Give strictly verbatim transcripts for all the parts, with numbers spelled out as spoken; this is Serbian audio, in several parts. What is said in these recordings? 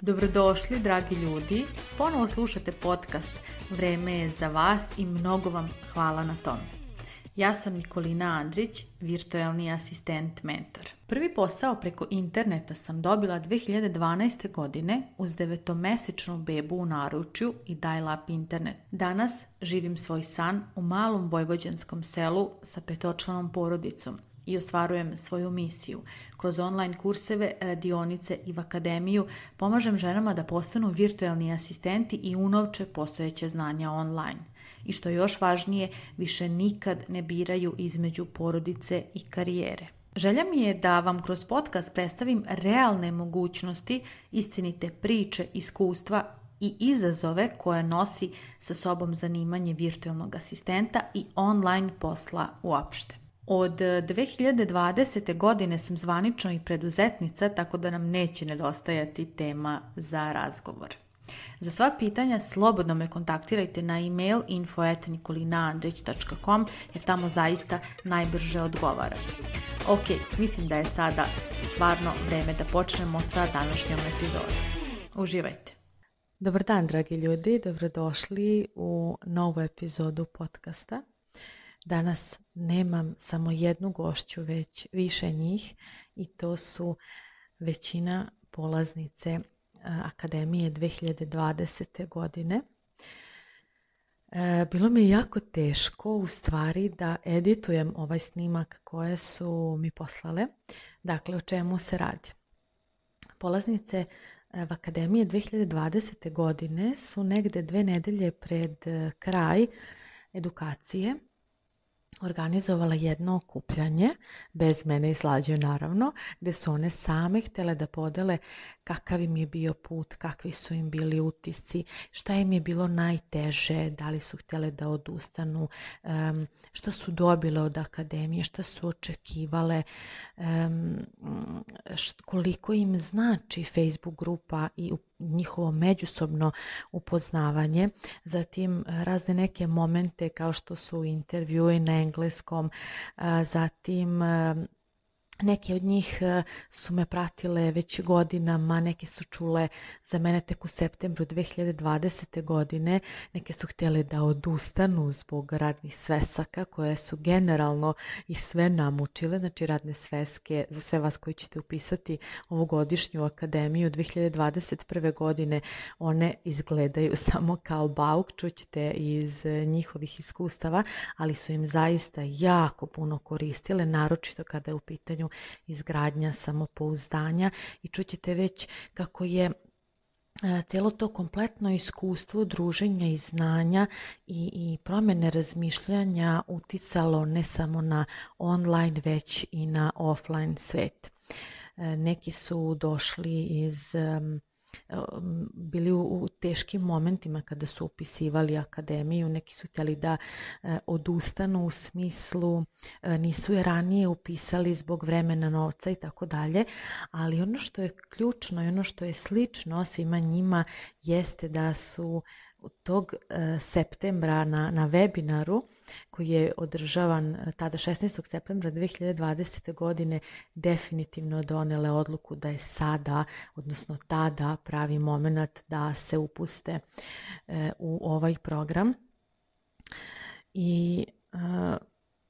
Dobrodošli, dragi ljudi. Ponovo slušate podcast Vreme je za vas i mnogo vam hvala na tome. Ja sam Nikolina Andrić, virtualni asistent mentor. Prvi posao preko interneta sam dobila dve hiljade dvanaeste. godine uz devetomesečnu bebu u naručju i dial-up internet. Danas živim svoj san u malom vojvođanskom selu sa petočlanom porodicom i ostvarujem svoju misiju. Kroz online kurseve, radionice i v akademiju pomažem ženama da postanu virtualni asistenti i unovče postojeće znanja online. I što je još važnije, više nikad ne biraju između porodice i karijere. Želja mi je da vam kroz podcast predstavim realne mogućnosti, istinite priče, iskustva i izazove koje nosi sa sobom zanimanje virtualnog asistenta i online posla uopšte. Od dve hiljade dvadesete. godine sam zvanično i preduzetnica, tako da nam neće nedostajati tema za razgovor. Za sva pitanja slobodno me kontaktirajte na e-mail info at nikolinaandrić dot com jer tamo zaista najbrže odgovara. Ok, mislim da je sada stvarno vreme da počnemo sa današnjom epizodom. Uživajte! Dobar dan, dragi ljudi, dobrodošli u novu epizodu podcasta. Danas nemam samo jednu gošću, već više njih i to su većina polaznice Akademije dve hiljade dvadesete. godine. Bilo mi je jako teško u stvari da editujem ovaj snimak koje su mi poslale. Dakle, o čemu se radi? Polaznice v Akademije dve hiljade dvadesete. godine su negde dve nedelje pred kraj edukacije organizovala jedno okupljanje, bez mene i Slađe naravno, gde su one same htjele da podele kakav im je bio put, kakvi su im bili utisci, šta im je bilo najteže, da li su htjele da odustanu, um, šta su dobile od akademije, šta su očekivale, um, št, koliko im znači Facebook grupa i njihovo međusobno upoznavanje, zatim razne neke momente kao što su intervjui na engleskom, zatim neke od njih su me pratile već godinama, neke su čule za mene tek u septembru dve hiljade dvadesete. godine, neke su htjele da odustanu zbog radnih svesaka koje su generalno i sve namučile, znači radne sveske za sve vas koji ćete upisati ovogodišnju akademiju dve hiljade dvadeset prve. godine, one izgledaju samo kao bauk, čućete iz njihovih iskustava, ali su im zaista jako puno koristile, naročito kada je u pitanju izgradnja samopouzdanja i čućete već kako je cijelo to kompletno iskustvo druženja i znanja i, i promjene razmišljanja uticalo ne samo na online već i na offline svet. Neki su došli iz bili u, u teškim momentima kada su upisivali akademiju, neki su htjeli da e, odustanu u smislu e, nisu je ranije upisali zbog vremena, novca i tako dalje, ali ono što je ključno i ono što je slično svima njima jeste da su tog e, septembra na, na webinaru koji je održavan tada šesnaestog septembra dve hiljade dvadesete. godine definitivno donele odluku da je sada, odnosno tada pravi moment da se upuste e, u ovaj program. I e,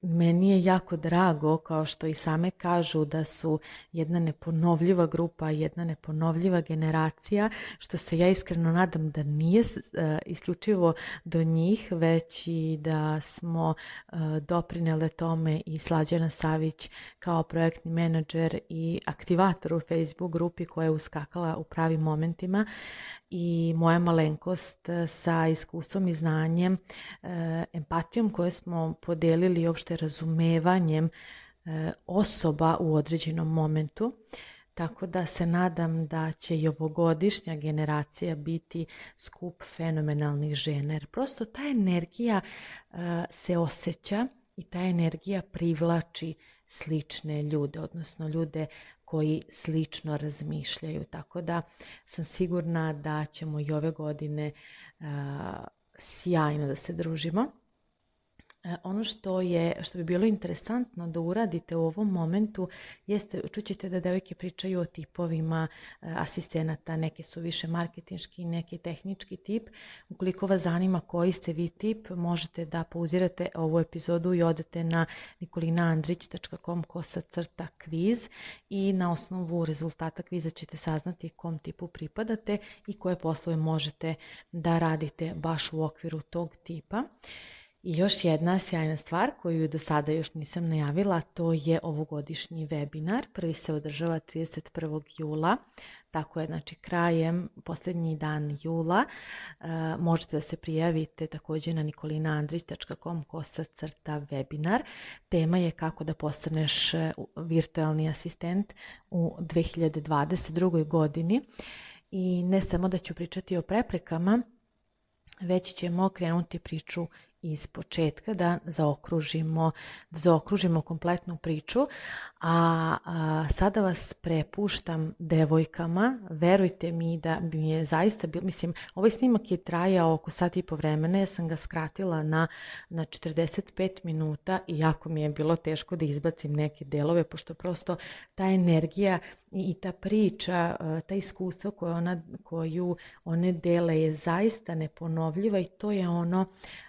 meni je jako drago, kao što i same kažu, da su jedna neponovljiva grupa, jedna neponovljiva generacija, što se ja iskreno nadam da nije uh, isključivo do njih, već i da smo uh, doprinele tome i Slađana Savić kao projektni menadžer i aktivator u Facebook grupi koja je uskakala u pravim momentima, i moja malenkost sa iskustvom i znanjem, empatijom koju smo podelili i opšte razumevanjem osoba u određenom momentu. Tako da se nadam da će i ovogodišnja generacija biti skup fenomenalnih žena. Jer prosto ta energija se osjeća i ta energija privlači slične ljude, odnosno ljude koji slično razmišljaju. Tako da sam sigurna da ćemo i ove godine uh, sjajno da se družimo. Ono što je, što bi bilo interesantno da uradite u ovom momentu jeste, čućete da devojke pričaju o tipovima asistenata, neke su više marketinški, neki tehnički tip. Ukoliko vas zanima koji ste vi tip, možete da pauzirate ovu epizodu i odete na nikolina andrić tačka com kosa crta kviz i na osnovu rezultata kviza ćete saznati kom tipu pripadate i koje poslove možete da radite baš u okviru tog tipa. I još jedna sjajna stvar koju do sada još nisam najavila, to je ovogodišnji webinar. Prvi se održava trideset prvog jula, tako je, znači krajem, posljednji dan jula. E, možete da se prijavite također na nikolina andrić tačka com kosa crta webinar. Tema je kako da postaneš virtualni asistent u dve hiljade dvadeset drugoj godini. I ne samo da ću pričati o preprekama, već ćemo krenuti priču iz početka, da zaokružimo, da zaokružimo kompletnu priču, a, a sada vas prepuštam devojkama. Verujte mi da bi mi je zaista bilo, mislim, ovaj snimak je trajao oko sat i po vremena, ja sam ga skratila na, na četrdeset pet minuta i jako mi je bilo teško da izbacim neke delove, pošto prosto ta energija i, i ta priča, ta iskustva koju, ona, koju one dele je zaista neponovljiva i to je ono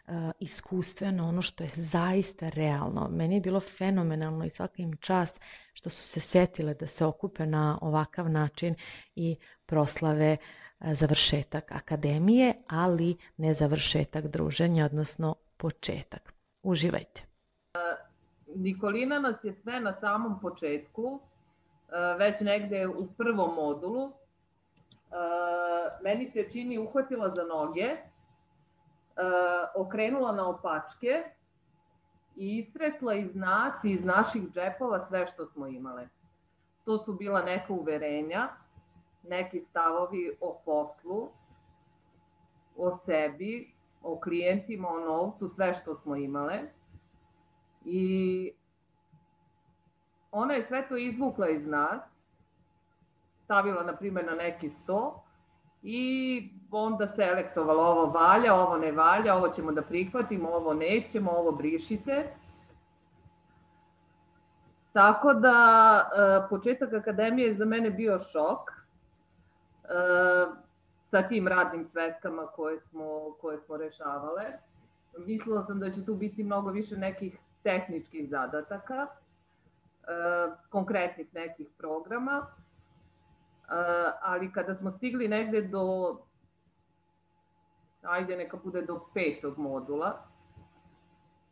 uh, iskustveno, ono što je zaista realno. Meni je bilo fenomenalno i svaka im čast što su se setile da se okupe na ovakav način i proslave uh, završetak akademije, ali ne završetak druženja, odnosno početak. Uživajte. Nikolina nas je sve na samom početku, već negde u prvom modulu, meni se čini uhvatila za noge, okrenula na opačke i istresla iz nas i iz naših džepova sve što smo imale. To su bila neka uverenja, neki stavovi o poslu, o sebi, o klijentima, o novcu, sve što smo imale. I ona je sve to izvukla iz nas, stavila, na primjer, na neki sto i onda selektovala ovo valja, ovo ne valja, ovo ćemo da prihvatimo, ovo nećemo, ovo brišite. Tako da, početak akademije je za mene bio šok sa tim radnim sveskama koje smo, koje smo rešavale. Mislila sam da će tu biti mnogo više nekih tehničkih zadataka, konkretnih nekih programa, ali kada smo stigli negde do, ajde neka bude do petog modula,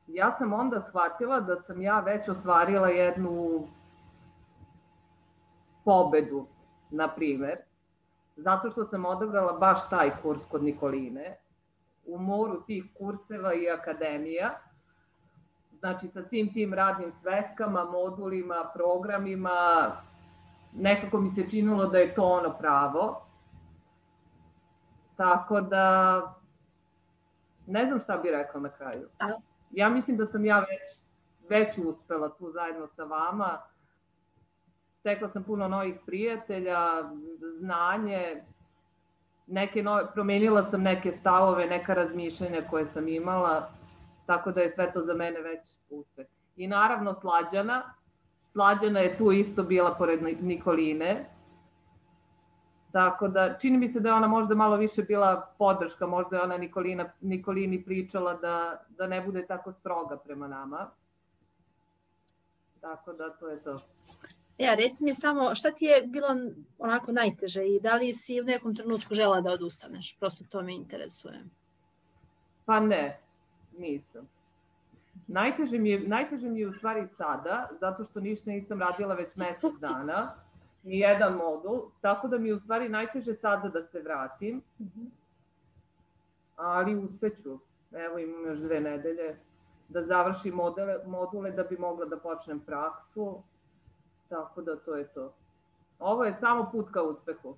ja sam onda shvatila da sam ja već ostvarila jednu pobedu, na primer, zato što sam odabrala baš taj kurs kod Nikoline, u moru tih kurseva i akademija, znači sa svim tim radnim sveskama, modulima, programima, nekako mi se činilo da je to ono pravo. Tako da, ne znam šta bih rekla na kraju. Ja mislim da sam ja već, već uspela tu zajedno sa vama. Stekla sam puno novih prijatelja, znanje, neke nove, promenila sam neke stavove, neka razmišljanja koje sam imala. Tako da je sve to za mene već uspeh. I naravno Slađana. Slađana je tu isto bila pored Nikoline. Tako da, čini mi se da je ona možda malo više bila podrška, možda je ona Nikolina, Nikolini pričala da, da ne bude tako stroga prema nama. Tako da, to je to. Ja, reci mi samo, šta ti je bilo onako najteže i da li si u nekom trenutku žela da odustaneš? Prosto to me interesuje. Pa ne. Nisam. Najteže mi, je, najteže mi je u stvari sada, zato što ništa nisam radila već mesec dana, ni jedan modul, tako da mi je u stvari najteže sada da se vratim, ali uspeću. Evo imam još dve nedelje da završim module, module da bi mogla da počnem praksu, tako da to je to. Ovo je samo put ka uspehu.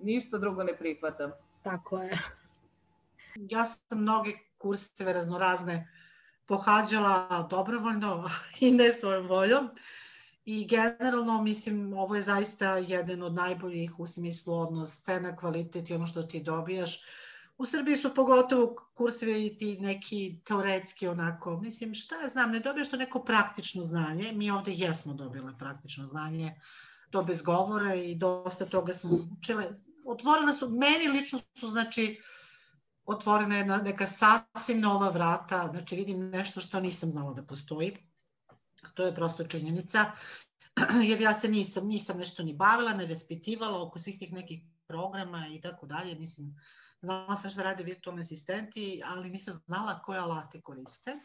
Ništa drugo ne prihvatam. Tako je. Ja sam mnoge kurseve raznorazne pohađala dobrovoljno i ne svojom voljom i generalno mislim ovo je zaista jedan od najboljih u smislu odnos cena, kvalitet i ono što ti dobijaš U Srbiji su pogotovo kursevi i ti neki teoretski onako, mislim šta ja znam, ne dobiješ to neko praktično znanje, mi ovde jesmo dobile praktično znanje, to bez govora i dosta toga smo učile. Otvorena su, meni lično su, znači, otvorena jedna neka sasvim nova vrata, znači vidim nešto što nisam znala da postoji, to je prosto činjenica, jer ja se nisam, nisam nešto ni bavila, ne raspitivala oko svih tih nekih programa i tako dalje, mislim, znala sam šta rade virtualni asistenti, ali nisam znala koje alate koriste.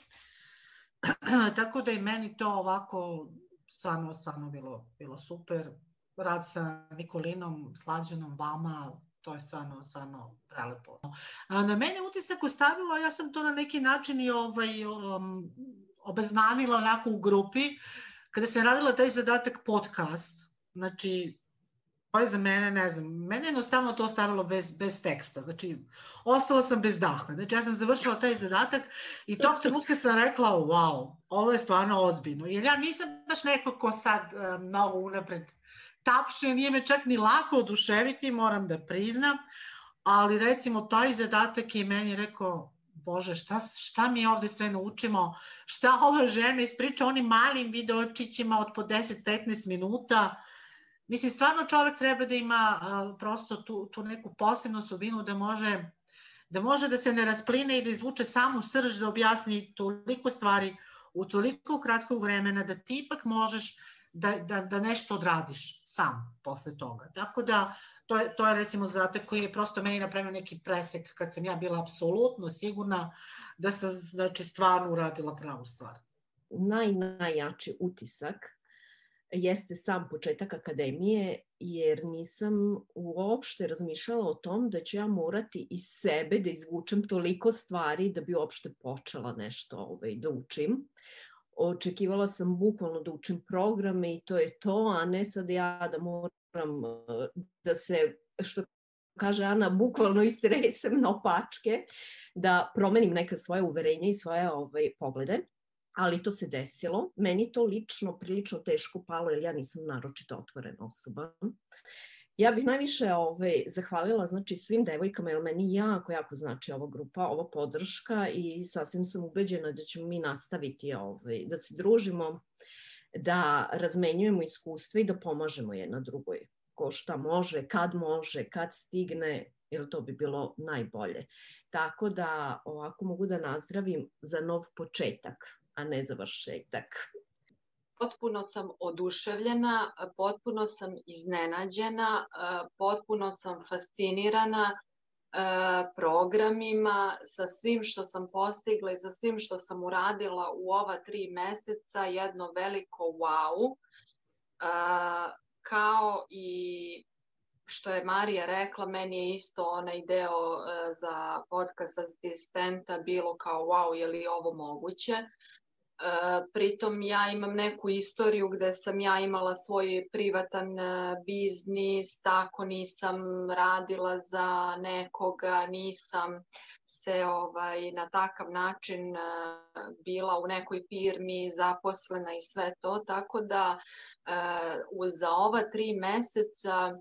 Tako da i meni to ovako stvarno, stvarno bilo, bilo super. Rad sa Nikolinom, Slađanom, vama, to je stvarno, stvarno prelepo. Na mene utisak ostavilo, ja sam to na neki način i ovaj, um, obeznanila onako u grupi, kada sam radila taj zadatak podcast, znači, to je za mene, ne znam, mene jednostavno to ostavilo bez, bez teksta, znači, ostala sam bez daha, znači, ja sam završila taj zadatak i tog trenutka sam rekla, wow, ovo je stvarno ozbiljno, jer ja nisam baš neko ko sad um, mnogo unapred tapše, nije me čak ni lako oduševiti, moram da priznam, ali recimo taj zadatak je meni rekao, Bože, šta, šta mi ovde sve naučimo, šta ova žena ispriča onim malim videočićima od po deset do petnaest minuta. Mislim, stvarno čovek treba da ima uh, prosto tu, tu neku posebnu osobinu da može, da može da se ne raspline i da izvuče samu srž, da objasni toliko stvari u toliko kratkog vremena da ti ipak možeš da, da, da nešto odradiš sam posle toga. Tako da, to je, to je recimo zadatak koji je prosto meni napravio neki presek kad sam ja bila apsolutno sigurna da sam, znači, stvarno uradila pravu stvar. Naj, najjači utisak jeste sam početak akademije, jer nisam uopšte razmišljala o tom da ću ja morati iz sebe da izvučem toliko stvari da bi uopšte počela nešto ovaj, da učim. Očekivala sam bukvalno da učim programe i to je to, a ne sad ja da moram da se, što kaže Ana, bukvalno istresem na opačke, da promenim neka svoje uverenja i svoje ovaj, poglede. Ali to se desilo. Meni to lično prilično teško palo, jer ja nisam naročito otvorena osoba. Ja bih najviše ovaj, zahvalila znači, svim devojkama, jer meni jako, jako znači ova grupa, ova podrška i sasvim sam ubeđena da ćemo mi nastaviti ovaj, da se družimo, da razmenjujemo iskustva i da pomažemo jedna drugoj. Ko šta može, kad može, kad stigne, jer to bi bilo najbolje. Tako da ovako mogu da nazdravim za nov početak, a ne završetak. Potpuno sam oduševljena, potpuno sam iznenađena, potpuno sam fascinirana programima, sa svim što sam postigla i sa svim što sam uradila u ova tri meseca, jedno veliko wow. Kao i što je Marija rekla, meni je isto onaj deo za podcast asistenta bilo kao wow, je li ovo moguće? Pritom ja imam neku istoriju gde sam ja imala svoj privatan biznis, tako nisam radila za nekoga, nisam se ovaj, na takav način bila u nekoj firmi zaposlena i sve to, tako da za ova tri meseca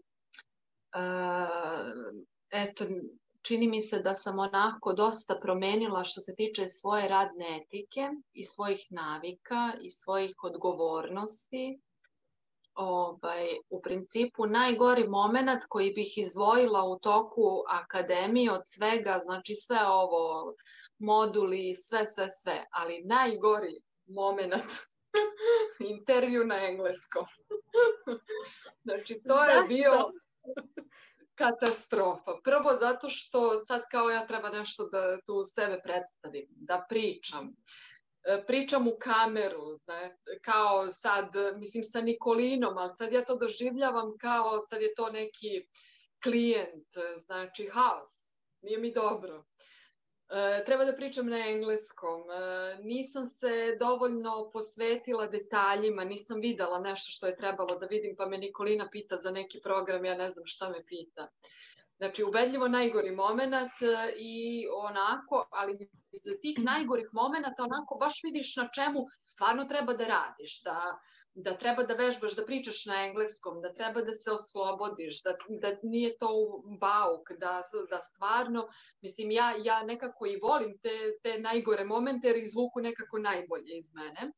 eto, čini mi se da sam onako dosta promenila što se tiče svoje radne etike i svojih navika i svojih odgovornosti. Ovaj, u principu najgori moment koji bih izdvojila u toku akademije od svega, znači sve ovo, moduli, sve, sve, sve, ali najgori moment intervju na engleskom. Znači to je bio katastrofa. Prvo zato što sad kao ja treba nešto da tu sebe predstavim, da pričam. Pričam u kameru, zna, kao sad, mislim sa Nikolinom, ali sad ja to doživljavam kao sad je to neki klijent, znači haos, nije mi dobro. E, treba da pričam na engleskom, e, nisam se dovoljno posvetila detaljima, nisam videla nešto što je trebalo da vidim, pa me Nikolina pita za neki program, ja ne znam šta me pita. Znači, ubedljivo najgori moment i onako, ali iz tih najgorih momenta onako baš vidiš na čemu stvarno treba da radiš, da da treba da vežbaš, da pričaš na engleskom, da treba da se oslobodiš, da, da nije to bauk, da, da stvarno, mislim, ja, ja nekako i volim te, te najgore momente jer izvuku nekako najbolje iz mene.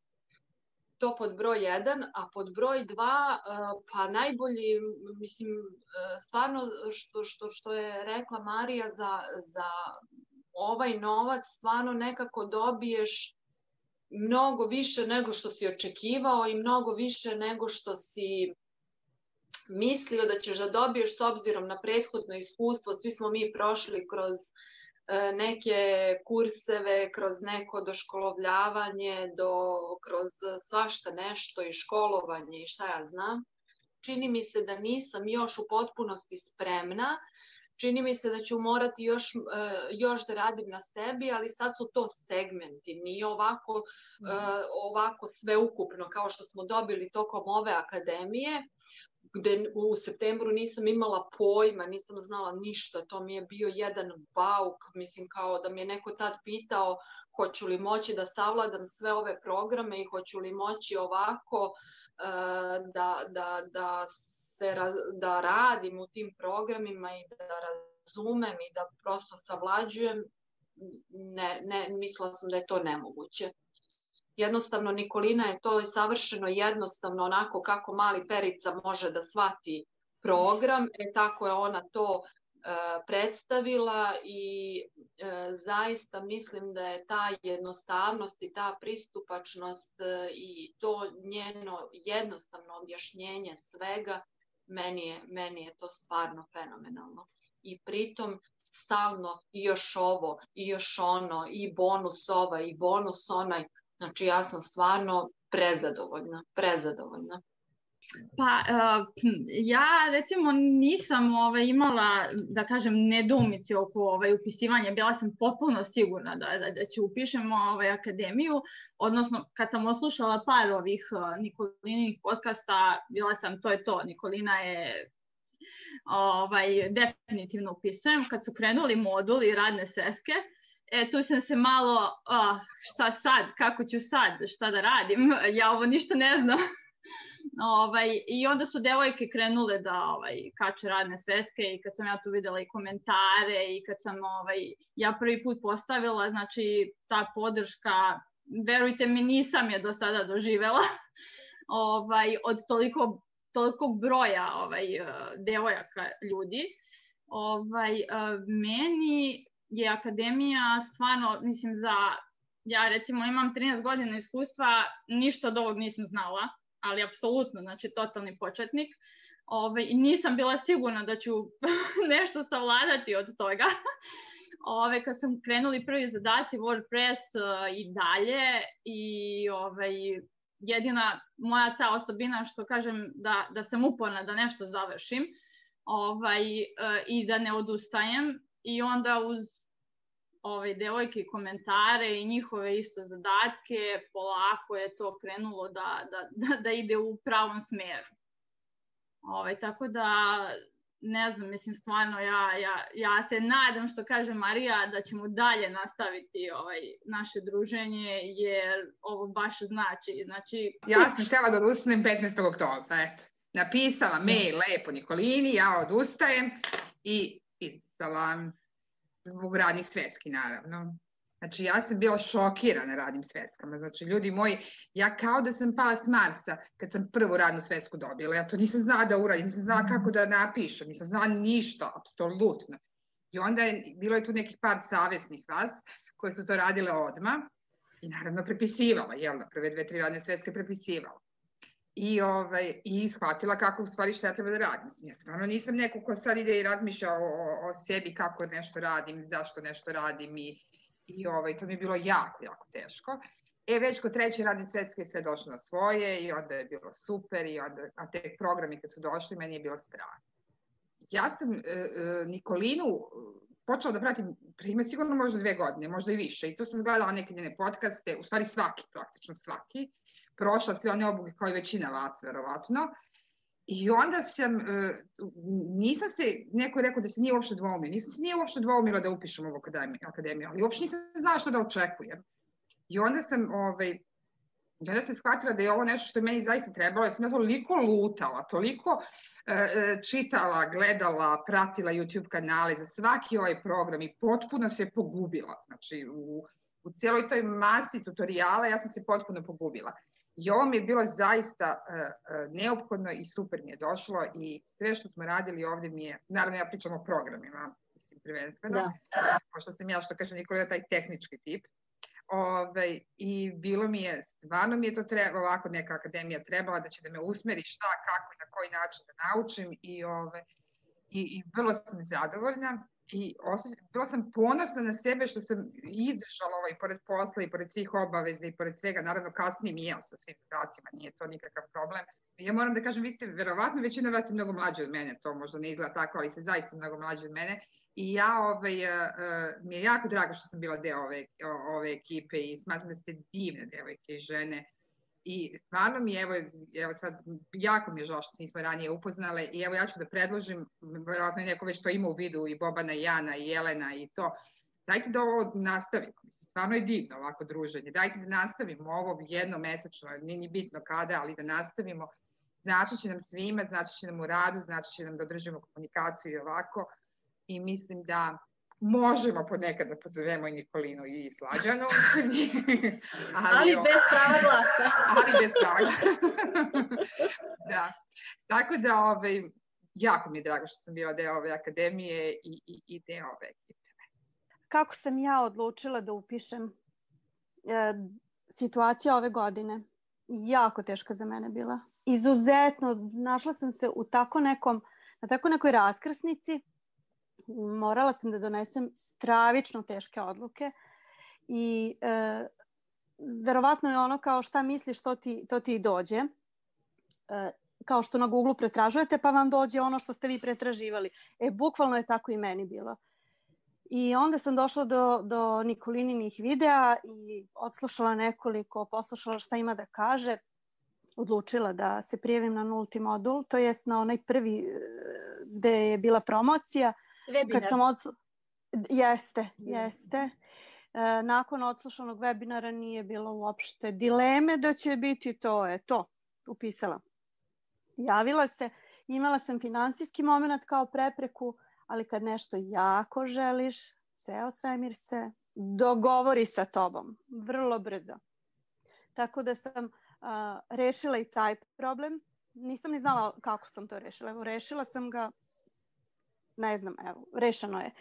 To pod broj jedan, a pod broj dva, pa najbolji, mislim, stvarno što, što, što je rekla Marija za, za ovaj novac, stvarno nekako dobiješ mnogo više nego što si očekivao i mnogo više nego što si mislio da ćeš da dobiješ s obzirom na prethodno iskustvo. Svi smo mi prošli kroz neke kurseve, kroz neko doškolovljavanje, do, kroz svašta nešto i školovanje i šta ja znam. Čini mi se da nisam još u potpunosti spremna. Čini mi se da ću morati još, još da radim na sebi, ali sad su to segmenti, nije ovako, mm. ovako sveukupno kao što smo dobili tokom ove akademije, gde u septembru nisam imala pojma, nisam znala ništa, to mi je bio jedan bauk, mislim kao da mi je neko tad pitao hoću li moći da savladam sve ove programe i hoću li moći ovako da, da, da se, da radim u tim programima i da razumem i da prosto savlađujem, ne, ne, mislila sam da je to nemoguće. Jednostavno, Nikolina je to savršeno jednostavno, onako kako mali Perica može da shvati program, e, tako je ona to e, predstavila i e, zaista mislim da je ta jednostavnost i ta pristupačnost e, i to njeno jednostavno objašnjenje svega, meni je, meni je to stvarno fenomenalno. I pritom stalno i još ovo, i još ono, i bonus ovaj, i bonus onaj. Znači, ja sam stvarno prezadovoljna, prezadovoljna. Pa, uh, ja recimo nisam ovaj, imala, da kažem, nedoumici oko ovaj, upisivanja. Bila sam potpuno sigurna da, da, da ću upišem ovaj, akademiju. Odnosno, kad sam oslušala par ovih uh, Nikolinih podcasta, bila sam, to je to, Nikolina je ovaj, definitivno upisujem. Kad su krenuli moduli radne sveske, E, tu sam se malo, oh, šta sad, kako ću sad, šta da radim, ja ovo ništa ne znam. ovaj, I onda su devojke krenule da ovaj, kače radne sveske i kad sam ja tu videla i komentare i kad sam ovaj, ja prvi put postavila, znači ta podrška, verujte mi, nisam je do sada doživela ovaj, od toliko, toliko broja ovaj, devojaka ljudi. Ovaj, meni je akademija stvarno, mislim, za, ja recimo imam trinaest godina iskustva, ništa od ovog nisam znala, ali apsolutno, znači totalni početnik. Ove, i nisam bila sigurna da ću nešto savladati od toga. Ove, kad sam krenuli prvi zadaci WordPress uh, i dalje i ovaj, jedina moja ta osobina što kažem da, da sam uporna da nešto završim ovaj, uh, i da ne odustajem. I onda uz ove devojke i komentare i njihove isto zadatke, polako je to krenulo da, da, da, da ide u pravom smeru. Ove, tako da, ne znam, mislim stvarno, ja, ja, ja se nadam, što kaže Marija, da ćemo dalje nastaviti ovaj, naše druženje, jer ovo baš znači. znači... Ja sam htjela da odustanem petnaestog oktobra, eto. Napisala mail lepo Nikolini, ja odustajem i izpisala zbog radnih sveski, naravno. Znači, ja sam bila šokirana radnim sveskama. Znači, ljudi moji, ja kao da sam pala s Marsa kad sam prvu radnu svesku dobila. Ja to nisam znala da uradim, nisam znala kako da napišem, nisam znala ništa, apsolutno. I onda je, bilo je tu nekih par savjesnih vas koje su to radile odmah i naravno prepisivala, jel da, prve dve, tri radne sveske prepisivala. I, ovaj, i shvatila kako u stvari šta ja treba da radim. Ja stvarno nisam neko ko sad ide i razmišlja o, o, o sebi kako nešto radim, zašto nešto radim i, i ovaj, to mi je bilo jako, jako teško. E, već kod treće radne svetske je sve došlo na svoje i onda je bilo super i onda, a te programi kad su došli, meni je bilo strah. Ja sam e, e, Nikolinu počela da pratim prime sigurno možda dve godine, možda i više. I tu sam gledala neke njene podcaste, u stvari svaki, praktično svaki. Prošla sve one obuke kao i većina vas, verovatno. I onda sam, nisam se, neko je rekao da se nije uopšte dvoumila, nisam se nije uopšte dvoumila da upišem ovu akademiju, ali uopšte nisam znala šta da očekujem. I onda sam ovaj, I onda sam shvatila da je ovo nešto što je meni zaista trebalo, ja sam ja toliko lutala, toliko e, čitala, gledala, pratila YouTube kanale za svaki ovaj program i potpuno se pogubila. Znači, u, u cijeloj toj masi tutoriala ja sam se potpuno pogubila. I ovo mi je bilo zaista uh, neophodno i super mi je došlo i sve što smo radili ovdje mi je, naravno ja pričam o programima, mislim prvenstveno, da. Pošto sam ja, što kaže Nikolina, taj tehnički tip. Ove, I bilo mi je, stvarno mi je to treba, ovako neka akademija trebala da će da me usmeri šta, kako i na koji način da naučim i, ove, i, i vrlo sam zadovoljna. I osjećam, bilo sam ponosna na sebe što sam izdržala ovo i pored posla i pored svih obaveza i pored svega, naravno kasnije mi ja sa svim zadacima, nije to nikakav problem. Ja moram da kažem, vi ste verovatno, većina vas je mnogo mlađe od mene, to možda ne izgleda tako, ali ste zaista mnogo mlađe od mene. I ja, ovaj, uh, mi je jako drago što sam bila deo ove, ove ekipe i smatram da ste divne devojke i žene. I stvarno mi je, evo, evo sad, jako mi je žao što se nismo ranije upoznale i evo ja ću da predložim, verovatno neko već to ima u vidu, i Bobana, i Jana, i Jelena i to, dajte da ovo nastavimo, mislim, stvarno je divno ovako druženje, dajte da nastavimo ovo jednomesečno, nije ni bitno kada, ali da nastavimo, znači će nam svima, znači će nam u radu, znači će nam da održimo komunikaciju i ovako i mislim da možemo ponekad da pozovemo i Nikolinu i Slađanu. ali, ali bez prava glasa. ali bez prava glasa. Da. Tako da ovaj, jako mi je drago što sam bila deo ove akademije i, i, i deo ove ekipe. Kako sam ja odlučila da upišem? E, situacija ove godine jako teška za mene bila. Izuzetno, našla sam se u tako nekom, na tako nekoj raskrsnici. Morala sam da donesem stravično teške odluke i e, verovatno je ono kao šta misliš to ti, to ti dođe. E, kao što na Google pretražujete pa vam dođe ono što ste vi pretraživali. E, bukvalno je tako i meni bilo. I onda sam došla do, do Nikolininih videa i odslušala nekoliko, poslušala šta ima da kaže. Odlučila da se prijavim na nulti modul, to jest na onaj prvi gde je bila promocija. Webinar. Kad sam odslu... Jeste, jeste. E, nakon odslušanog webinara nije bilo uopšte dileme da će biti to, je to, upisala. Javila se, imala sam finansijski moment kao prepreku, ali kad nešto jako želiš, ceo svemir se dogovori sa tobom, vrlo brzo. Tako da sam uh, rešila i taj problem. Nisam ni znala kako sam to rešila. Evo, rešila sam ga, ne znam, evo, rešeno je.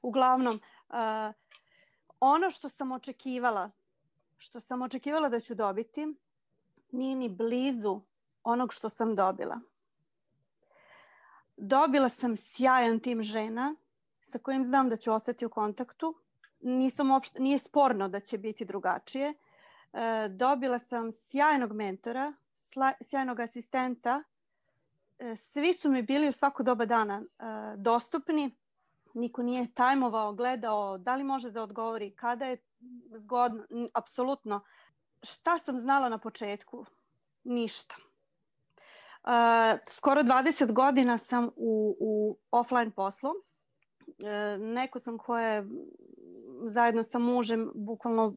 Uglavnom, uh, ono što sam očekivala, što sam očekivala da ću dobiti, nije ni blizu onog što sam dobila. Dobila sam sjajan tim žena sa kojim znam da ću ostati u kontaktu. Nisam uopšte, nije sporno da će biti drugačije. E, dobila sam sjajnog mentora, sla, sjajnog asistenta. E, svi su mi bili u svako doba dana e, dostupni. Niko nije tajmovao, gledao da li može da odgovori, kada je zgodno. Apsolutno. Šta sam znala na početku? Ništa. Uh, skoro dvadeset godina sam u, u offline poslu. Uh, neko sam koja je zajedno sa mužem bukvalno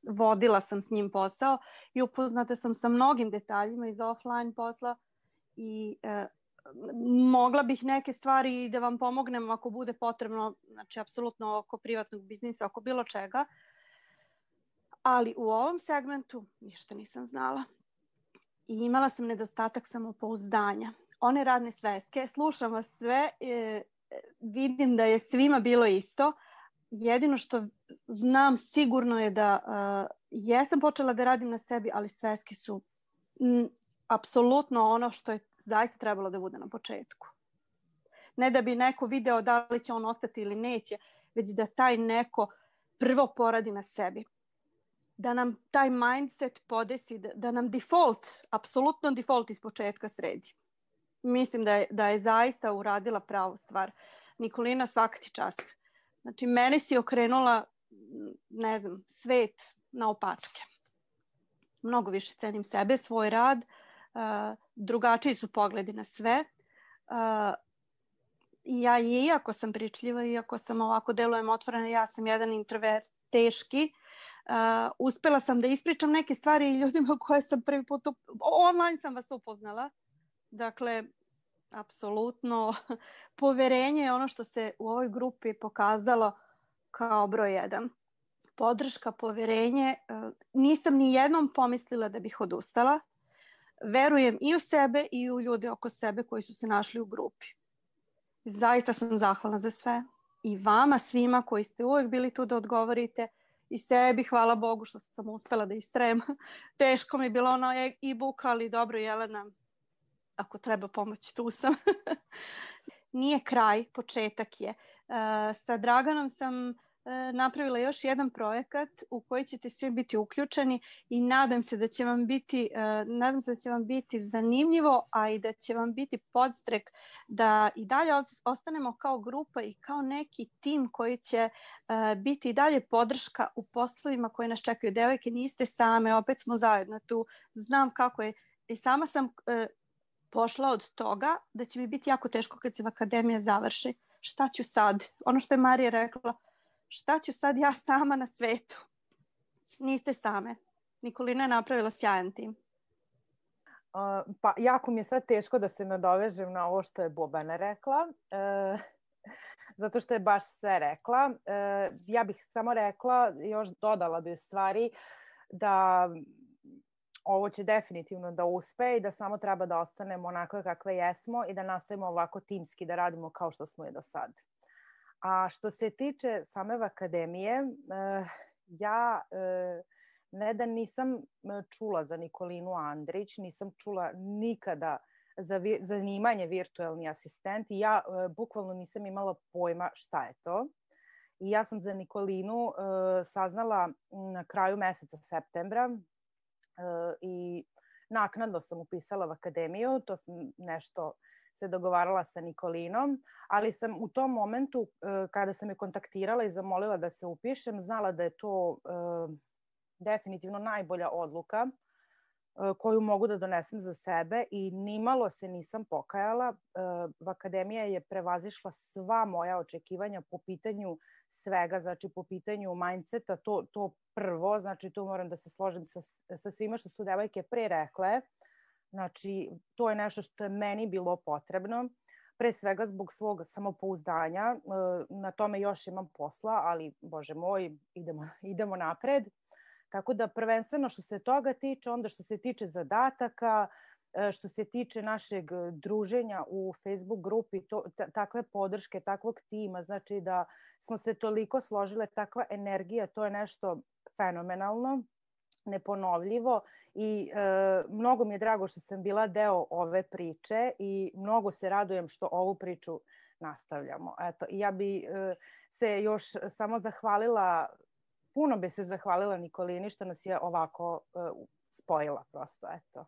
vodila sam s njim posao i upoznata sam sa mnogim detaljima iz offline posla i uh, mogla bih neke stvari da vam pomognem ako bude potrebno, znači apsolutno oko privatnog biznisa, oko bilo čega. Ali u ovom segmentu ništa nisam znala. I imala sam nedostatak samopouzdanja. One radne sveske, slušam vas sve, e, vidim da je svima bilo isto. Jedino što znam sigurno je da e, jesam počela da radim na sebi, ali sveske su m, apsolutno ono što je zaista trebalo da bude na početku. Ne da bi neko video da li će on ostati ili neće, već da taj neko prvo poradi na sebi. Da nam taj mindset podesi, da, da nam default, apsolutno default iz početka sredi. Mislim da je, da je zaista uradila pravu stvar. Nikolina, svaka ti čast. Znači, mene si okrenula, ne znam, svet na opačke. Mnogo više cenim sebe, svoj rad, uh, drugačiji su pogledi na sve. Uh, ja, iako sam pričljiva, iako sam ovako delujem otvorena, ja sam jedan introvert teški, Uh, uspela sam da ispričam neke stvari ljudima koje sam prvi put up... online sam vas upoznala. Dakle, apsolutno poverenje je ono što se u ovoj grupi pokazalo kao broj jedan. Podrška, poverenje. Nisam ni jednom pomislila da bih odustala. Verujem i u sebe i u ljude oko sebe koji su se našli u grupi. Zaista sam zahvalna za sve. I vama svima koji ste uvijek bili tu da odgovorite. I sebi, hvala Bogu što sam uspela da istrajem. Teško mi je bilo ono e-book, ali dobro, Jelena, ako treba pomoć, tu sam. Nije kraj, početak je. Sa Draganom sam napravila još jedan projekat u koji ćete svi biti uključeni i nadam se da će vam biti, nadam se da će vam biti zanimljivo, a i da će vam biti podstrek da i dalje ostanemo kao grupa i kao neki tim koji će biti i dalje podrška u poslovima koji nas čekaju. Devojke, niste same, opet smo zajedno tu. Znam kako je. I sama sam pošla od toga da će mi biti jako teško kad se akademija završi. Šta ću sad? Ono što je Marija rekla, šta ću sad ja sama na svetu? Niste same. Nikolina je napravila sjajan tim. Uh, pa jako mi je sad teško da se nadovežem na ovo što je Bobana rekla. Uh, zato što je baš sve rekla. Uh, ja bih samo rekla, još dodala bi u stvari da ovo će definitivno da uspe i da samo treba da ostanemo onako kakve jesmo i da nastavimo ovako timski da radimo kao što smo i do sad. A što se tiče same akademije, ja ne da nisam čula za Nikolinu Andrić, nisam čula nikada za zanimanje virtualni asistent i ja bukvalno nisam imala pojma šta je to. I ja sam za Nikolinu saznala na kraju meseca septembra i naknadno sam upisala u akademiju, to sam nešto se dogovarala sa Nikolinom, ali sam u tom momentu kada sam je kontaktirala i zamolila da se upišem, znala da je to definitivno najbolja odluka koju mogu da donesem za sebe i nimalo se nisam pokajala. Akademija je prevazišla sva moja očekivanja po pitanju svega, znači po pitanju mindseta, to, to prvo, znači tu moram da se složim sa, sa svima što su devojke pre rekle. Znači, to je nešto što je meni bilo potrebno, pre svega zbog svog samopouzdanja. Na tome još imam posla, ali, Bože moj, idemo, idemo napred. Tako da prvenstveno što se toga tiče, onda što se tiče zadataka, što se tiče našeg druženja u Facebook grupi, to, t- takve podrške, takvog tima, znači da smo se toliko složile, takva energija, to je nešto fenomenalno, neponovljivo i e, mnogo mi je drago što sam bila deo ove priče i mnogo se radujem što ovu priču nastavljamo. Eto, ja bi e, se još samo zahvalila, puno bi se zahvalila Nikolini što nas je ovako e, spojila prosto, eto.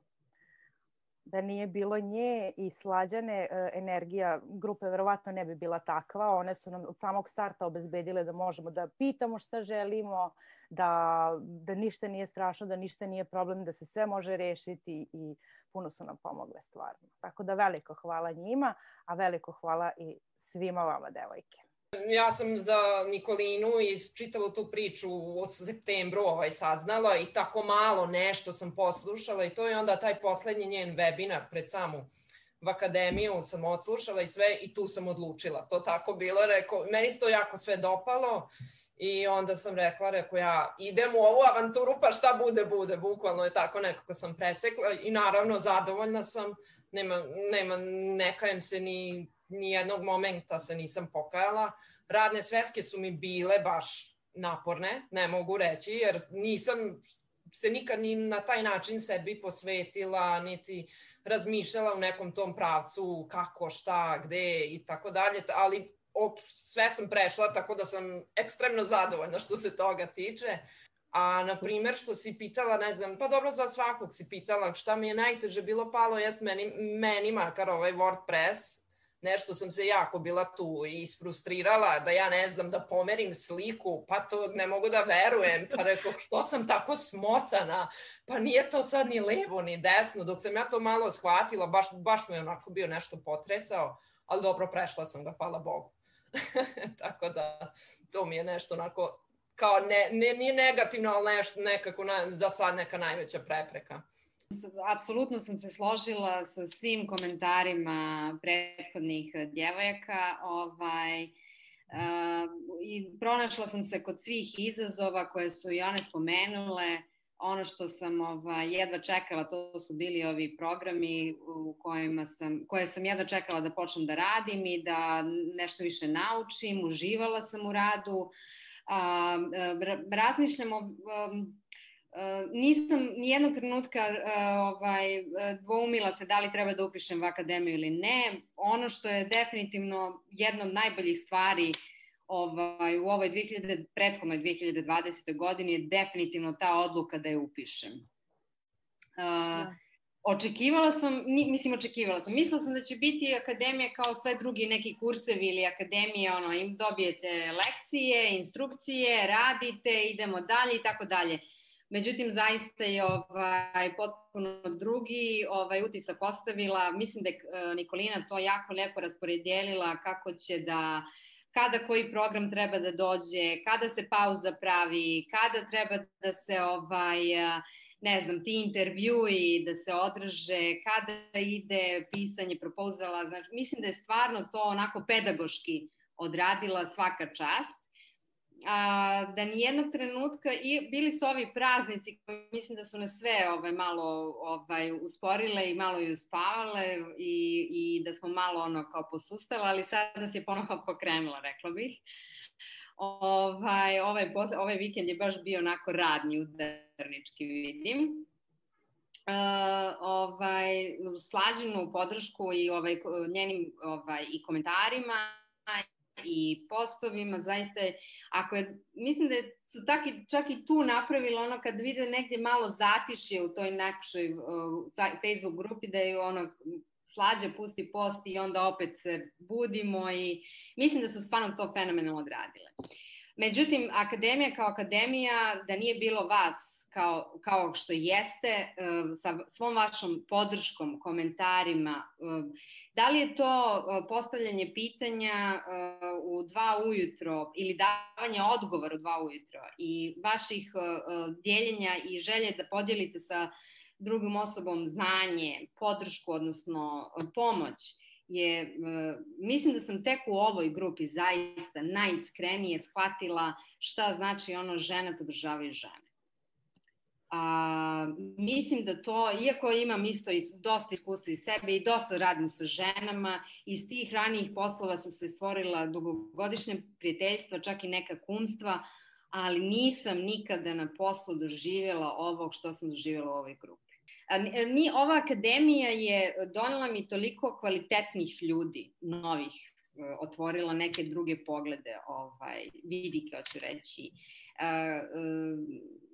Da nije bilo nje i Slađane, energija grupe verovatno ne bi bila takva. One su nam od samog starta obezbedile da možemo da pitamo šta želimo, da, da ništa nije strašno, da ništa nije problem, da se sve može rešiti i puno su nam pomogle stvarno. Tako da veliko hvala njima, a veliko hvala i svima vama, devojke. Ja sam za Nikolinu i čitavu tu priču u septembru ovaj saznala i tako malo nešto sam poslušala i to je onda taj poslednji njen webinar pred samu akademiju sam odslušala i sve i tu sam odlučila. To tako bilo, rekao, meni se to jako sve dopalo i onda sam rekla, rekao ja idem u ovu avanturu pa šta bude, bude, bukvalno je tako nekako sam presekla i naravno zadovoljna sam, nema, nema ne kajem se ni nijednog momenta se nisam pokajala. Radne sveske su mi bile baš naporne, ne mogu reći, jer nisam se nikad ni na taj način sebi posvetila, niti razmišljala u nekom tom pravcu kako, šta, gde i tako dalje, ali sve sam prešla, tako da sam ekstremno zadovoljna što se toga tiče. A, na primjer, što si pitala, ne znam, pa dobro za svakog si pitala šta mi je najteže bilo palo, jest meni, meni makar ovaj WordPress, nešto sam se jako bila tu i isfrustrirala da ja ne znam da pomerim sliku, pa to ne mogu da verujem, pa rekao što sam tako smotana, pa nije to sad ni levo ni desno, dok sam ja to malo shvatila, baš, baš me onako bio nešto potresao, ali dobro prešla sam ga, hvala Bogu. Tako da to mi je nešto onako kao ne, ne, nije negativno, ali neš, nekako na, za sad neka najveća prepreka. Apsolutno sam se složila sa svim komentarima prethodnih djevojaka. Ovaj, uh, i pronašla sam se kod svih izazova koje su i one spomenule. Ono što sam ovaj, jedva čekala, to su bili ovi programi u kojima sam, koje sam jedva čekala da počnem da radim i da nešto više naučim. Uživala sam u radu. Uh, razmišljam o... Um, Uh, nisam nijednog trenutka uh, ovaj, dvoumila se da li treba da upišem u akademiju ili ne. Ono što je definitivno jedna od najboljih stvari ovaj, u ovoj dve hiljade, prethodnoj dve hiljade dvadesetoj godini je definitivno ta odluka da je upišem. Uh, ja. Očekivala sam, mislim očekivala sam, mislila sam da će biti akademija kao sve drugi neki kursevi ili akademije, ono, im dobijete lekcije, instrukcije, radite, idemo dalje i tako dalje. Međutim, zaista je ovaj, potpuno drugi ovaj, utisak ostavila. Mislim da je Nikolina to jako lepo rasporedjelila kako će da, kada koji program treba da dođe, kada se pauza pravi, kada treba da se, ovaj, ne znam, ti intervjui da se održe, kada ide pisanje propozala. Znači, mislim da je stvarno to onako pedagoški odradila svaka čast. A, da nijednog trenutka, i bili su ovi praznici koji mislim da su nas sve ovaj, malo ovaj, usporile i malo i uspavale i, i da smo malo ono kao posustale, ali sad nas je ponovo pokrenula, rekla bih. Ovaj, ovaj, ovaj vikend je baš bio onako radni, udarnički, vidim. Uh, ovaj, slađenu podršku i ovaj, njenim ovaj, i komentarima i postovima, zaista je, ako je, mislim da su tak i, čak i tu napravila ono kad vide negdje malo zatišje u toj nekoj uh, Facebook grupi da je ono Slađa pusti post i onda opet se budimo i mislim da su stvarno to fenomenalno odradile. Međutim, akademija kao akademija, da nije bilo vas kao, kao što jeste, sa svom vašom podrškom, komentarima, da li je to postavljanje pitanja u dva ujutro ili davanje odgovora u dva ujutro i vaših dijeljenja i želje da podijelite sa drugom osobom znanje, podršku, odnosno pomoć, je, mislim da sam tek u ovoj grupi zaista najiskrenije shvatila šta znači ono žene podržavaju žene. A, mislim da to, iako imam isto i dosta iskustva iz sebe i dosta radim sa ženama, iz tih ranijih poslova su se stvorila dugogodišnje prijateljstva, čak i neka kumstva, ali nisam nikada na poslu doživjela ovog što sam doživjela u ovoj grupi. Ni, ova akademija je donela mi toliko kvalitetnih ljudi, novih, otvorila neke druge poglede, ovaj, vidike, hoću reći.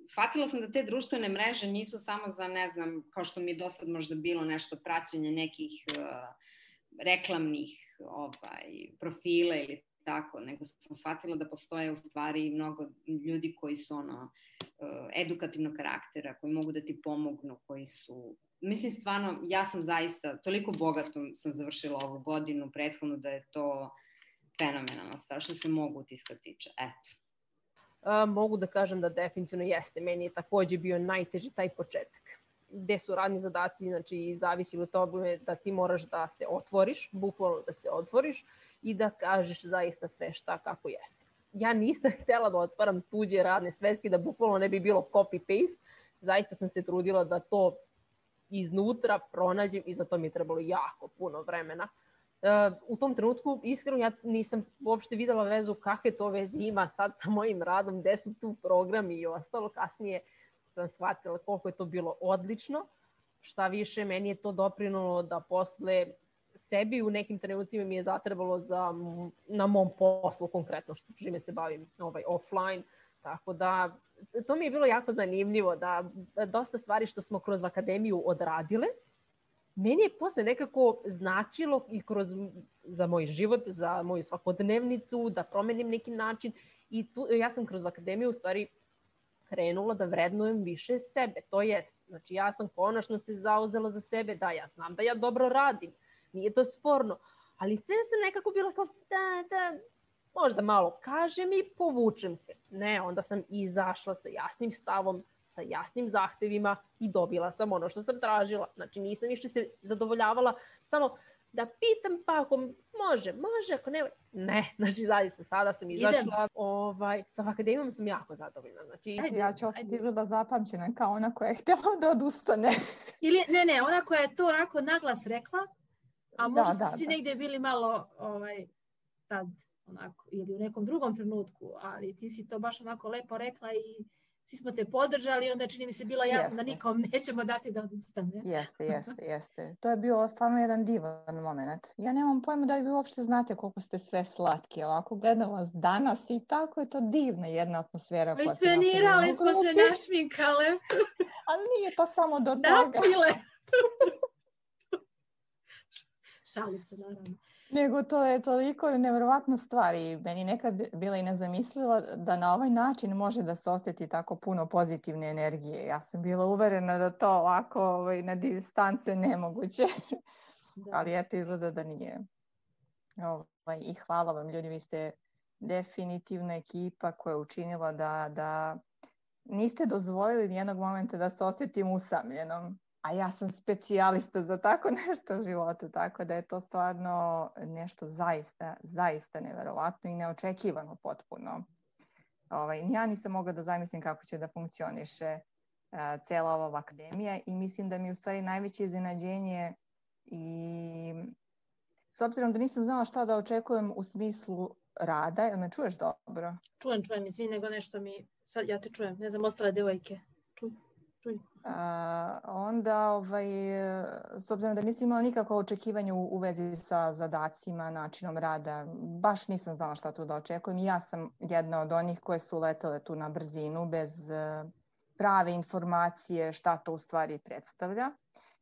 Shvatila sam da te društvene mreže nisu samo za, ne znam, kao što mi je do sad možda bilo nešto praćenje nekih reklamnih ovaj, profila ili tako, nego sam shvatila da postoje u stvari mnogo ljudi koji su ono, edukativnog karaktera, koji mogu da ti pomognu, koji su... Mislim, stvarno, ja sam zaista, toliko bogato sam završila ovu godinu prethodnu da je to fenomenalno, strašno se mogu utiska tiče. Eto. A, mogu da kažem da definitivno jeste. Meni je takođe bio najteži taj početak. Gde su radni zadaci, znači zavisi od toga da ti moraš da se otvoriš, bukvalno da se otvoriš i da kažeš zaista sve šta kako jeste. Ja nisam htjela da otvaram tuđe radne sveske, da bukvalno ne bi bilo copy-paste. Zaista sam se trudila da to iznutra pronađem i za to mi je trebalo jako puno vremena. U tom trenutku, iskreno, ja nisam uopšte videla vezu kakve to veze ima sad sa mojim radom, gde su tu programi i ostalo. Kasnije sam shvatila koliko je to bilo odlično. Šta više, meni je to doprinulo da posle sebi u nekim trenucima mi je zatrebalo za, na mom poslu konkretno, što čime se bavim ovaj, offline. Tako da, to mi je bilo jako zanimljivo da, da dosta stvari što smo kroz akademiju odradile, meni je posle nekako značilo i kroz, za moj život, za moju svakodnevnicu, da promenim neki način i tu, ja sam kroz akademiju u stvari krenula da vrednujem više sebe. To jest, znači ja sam konačno se zauzela za sebe, da ja znam da ja dobro radim, nije to sporno, ali te sam nekako bila kao da, da, možda malo kažem i povučem se. Ne, onda sam izašla sa jasnim stavom, sa jasnim zahtevima i dobila sam ono što sam tražila. Znači nisam više se zadovoljavala samo da pitam pa ako može, može, ako ne, ne. Znači zaista sada sam izašla, ovaj, sa akademijom sam jako zadovoljna. Znači, ajde, ja ću ostati izgleda zapamćena kao ona koja je htjela da odustane. Ili, ne, ne, ona koja je to onako naglas rekla, a možda da, smo da, svi da. negdje bili malo ovaj, tad onako, ili u nekom drugom trenutku, ali ti si to baš onako lepo rekla i svi smo te podržali, onda čini mi se bilo jasno Jeste. da nikom nećemo dati da odustane. Jeste, jeste, jeste. To je bio stvarno jedan divan moment. Ja nemam pojma da li vi uopšte znate koliko ste sve slatki. Ovako gledam vas danas i tako je to divna jedna atmosfera. I svenirali smo se, našminkale. Ali nije to samo do toga. Napile. Šalim se, naravno. Nego to je toliko nevjerovatna stvar i meni nekad bila i nezamisliva da na ovaj način može da se osjeti tako puno pozitivne energije. Ja sam bila uverena da to ovako ovaj, na distance nemoguće, da. Ali eto izgleda da nije. Ovaj, I hvala vam ljudi, vi ste definitivna ekipa koja je učinila da, da niste dozvolili nijednog momenta da se osjetim usamljenom. A ja sam specijalista za tako nešto u životu, tako da je to stvarno nešto zaista, zaista neverovatno i neočekivano potpuno. Ovaj, ja nisam mogla da zamislim kako će da funkcioniše uh, cela ova akademija i mislim da mi je u stvari najveće iznenađenje i s obzirom da nisam znala šta da očekujem u smislu rada, jel me čuješ dobro? Čujem, čujem, izvini, nego nešto mi, sad ja te čujem, ne znam, ostale devojke. Čujem. Uh, onda, ovaj, s obzirom da nisam imala nikakvo očekivanje u, u vezi sa zadacima, načinom rada, baš nisam znala šta tu da očekujem. Ja sam jedna od onih koje su letele tu na brzinu bez uh, prave informacije šta to u stvari predstavlja.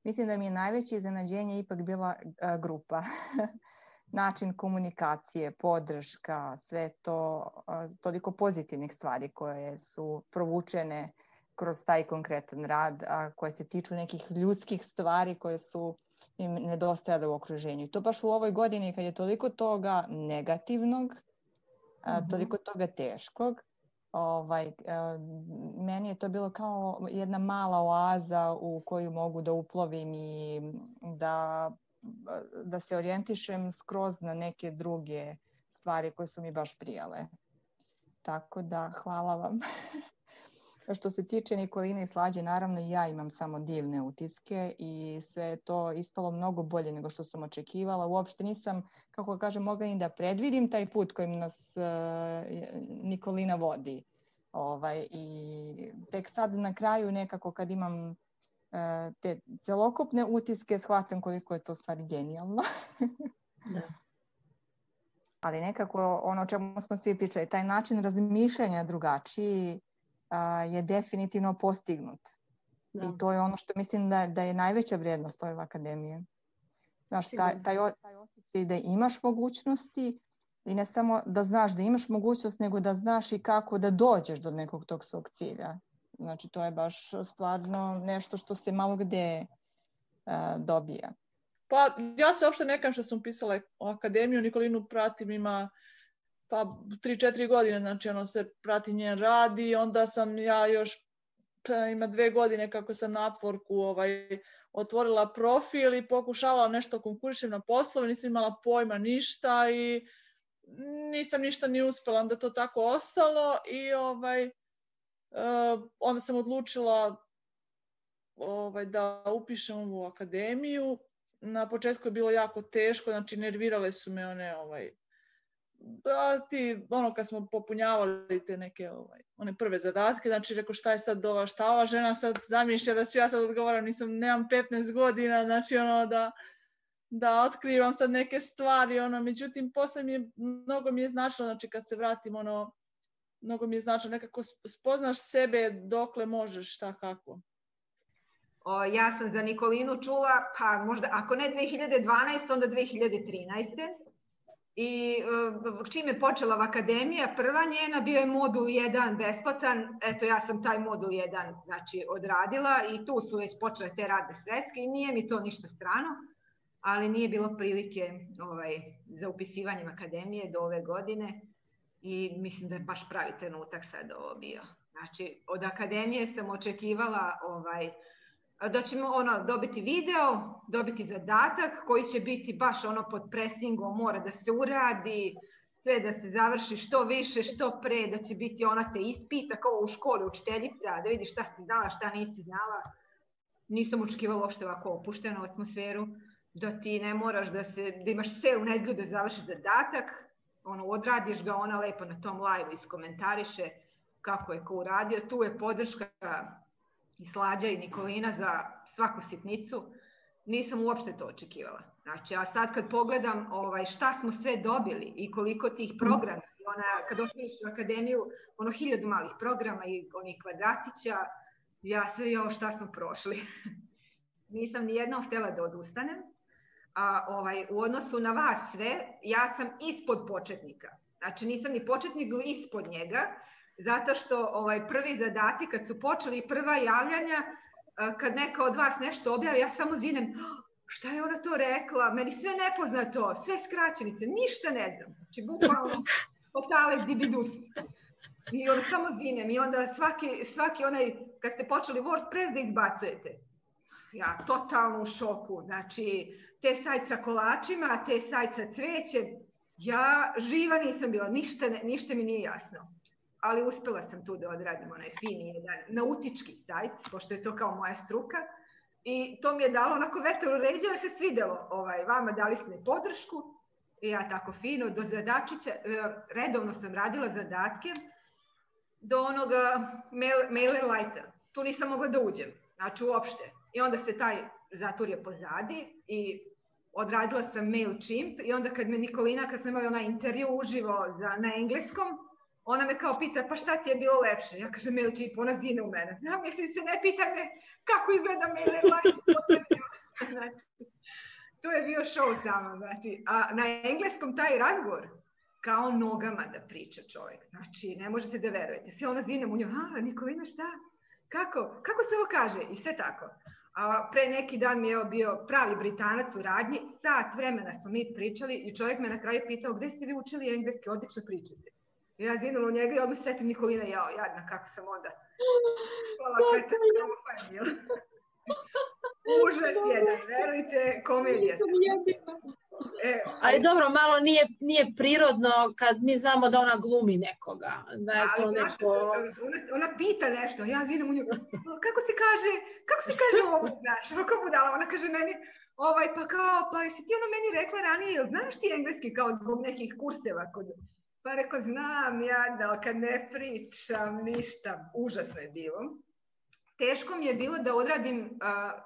Mislim da mi je najveće iznenađenje ipak bila uh, grupa. Način komunikacije, podrška, sve to, uh, toliko pozitivnih stvari koje su provučene kroz taj konkretan rad, a koje se tiču nekih ljudskih stvari koje su im nedostajale u okruženju. I to baš u ovoj godini kad je toliko toga negativnog, mm-hmm. toliko toga teškog, ovaj, meni je to bilo kao jedna mala oaza u koju mogu da uplovim i da, da se orijentišem skroz na neke druge stvari koje su mi baš prijale. Tako da, hvala vam. Što se tiče Nikoline i Slađe, naravno i ja imam samo divne utiske i sve je to ispalo mnogo bolje nego što sam očekivala. Uopšte nisam, kako kažem, mogla ni da predvidim taj put kojim nas uh, Nikolina vodi. Ovaj, i tek sad na kraju nekako kad imam uh, te celokupne utiske, shvatam koliko je to stvari genijalno. Da. Ali nekako ono o čemu smo svi pričali, taj način razmišljanja drugačiji Uh, je definitivno postignut. Da. I to je ono što mislim da, da je najveća vrijednost ove akademije. Znaš, taj, taj, taj osjećaj da imaš mogućnosti i ne samo da znaš da imaš mogućnost, nego da znaš i kako da dođeš do nekog tog svog cilja. Znači, to je baš stvarno nešto što se malo gde uh, dobija. Pa ja se uopšte nekam što sam pisala o akademiju, Nikolinu pratim, ima pa tri, četiri godine, znači ono se prati njen rad i onda sam ja još, pa ima dve godine kako sam na Upworku ovaj, otvorila profil i pokušavala nešto konkurišem na poslove, nisam imala pojma ništa i nisam ništa ni uspela, onda to tako ostalo i ovaj, uh, onda sam odlučila ovaj, da upišem ovu akademiju. Na početku je bilo jako teško, znači nervirale su me one ovaj, da ti, ono kad smo popunjavali te neke ovaj, one prve zadatke, znači rekao šta je sad ova, šta ova žena sad zamišlja da ću ja sad odgovaram, nisam, nemam petnaest godina, znači ono da, da otkrivam sad neke stvari, ono, međutim posle mi je, mnogo mi je značilo, znači kad se vratim, ono, mnogo mi je značilo, nekako spoznaš sebe dokle možeš, šta kako. O, ja sam za Nikolinu čula, pa možda, ako ne dve hiljade dvanaeste, onda dve hiljade trinaeste. I čim je počela v akademija, prva njena, bio je modul jedan besplatan, eto ja sam taj modul jedan znači, odradila i tu su već počele te radne sveske i nije mi to ništa strano, ali nije bilo prilike ovaj, za upisivanjem akademije do ove godine. I mislim da je baš pravi trenutak sad ovo bio. Znači, od akademije sam očekivala ovaj, da ćemo ono, dobiti video, dobiti zadatak koji će biti baš ono pod presingom, mora da se uradi, sve da se završi što više, što pre, da će biti ona te ispita kao u školi učiteljica, da vidiš šta si znala, šta nisi znala. Nisam očekivala uopšte ovako opuštenu atmosferu, da ti ne moraš da, se, da imaš celu nedelju da završi zadatak, ono, odradiš ga, ona lepo na tom live iskomentariše kako je ko uradio. Tu je podrška i Slađa i Nikolina za svaku sitnicu. Nisam uopšte to očekivala. Znači, a sad kad pogledam ovaj, šta smo sve dobili i koliko tih programa, ona, kad otvoriš u akademiju, ono hiljadu malih programa i onih kvadratića, ja sve jo šta smo prošli. Nisam ni jednom htjela da odustanem. A, ovaj, u odnosu na vas sve, ja sam ispod početnika. Znači, nisam ni početnik, ispod njega, zato što ovaj, prvi zadaci, kad su počeli prva javljanja, kad neka od vas nešto objavi, ja samo zinem, šta je ona to rekla, meni sve nepoznato, sve skraćenice, ništa ne znam. Znači, bukvalno, totale zididus. I onda samo zinem i onda svaki, svaki onaj, kad ste počeli WordPress da izbacujete, ja totalno u šoku, znači, te sajt sa kolačima, te sajt sa cvećem, ja živa nisam bila, ništa, ništa mi nije jasno. Ali uspela sam tu da odradim onaj fini jedan nautički sajt, pošto je to kao moja struka. I to mi je dalo onako vetar u ređe, jer se svidelo ovaj, vama, dali ste mi podršku. I ja tako fino, do zadačića, redovno sam radila zadatke do onoga mail, MailerLite-a. Tu nisam mogla da uđem, znači uopšte. I onda se taj zaturio pozadi i odradila sam MailChimp i onda kad me Nikolina, kad smo imali onaj intervju uživo za, na engleskom, ona me kao pita, pa šta ti je bilo lepše? Ja kažem MailChimp, ona zine u mene. Ja mislim se, ne pita me kako izgleda MailerLite. Znači, to je bio show samo. Znači, a na engleskom taj razgovor, kao nogama da priča čovjek. Znači, ne možete da verujete. Sve ona zine u nju, a Nikolina šta? Kako? Kako se ovo kaže? I sve tako. A pre neki dan mi je bio pravi Britanac u radnji, sat vremena smo mi pričali i čovjek me na kraju pitao, gde ste vi učili engleski, odlično pričate. I ja zinula u njega i odmah setim Nikolina, jao, jadna, kako sam onda. Hvala, kada je užas jedan, verujte, komedija. E, ali dobro, malo nije, nije prirodno kad mi znamo da ona glumi nekoga. Da je to ali, neko... ona, ona pita nešto, ja zinem u nju, kako se kaže, kako se kaže ovo, znaš, kako budala, ona kaže meni, ovaj, pa kao, pa jesi ti ono meni rekla ranije, jel znaš ti engleski kao zbog nekih kurseva kod... Pa rekao, znam ja da kad ne pričam ništa, užasno je bilo. Teško mi je bilo da odradim uh,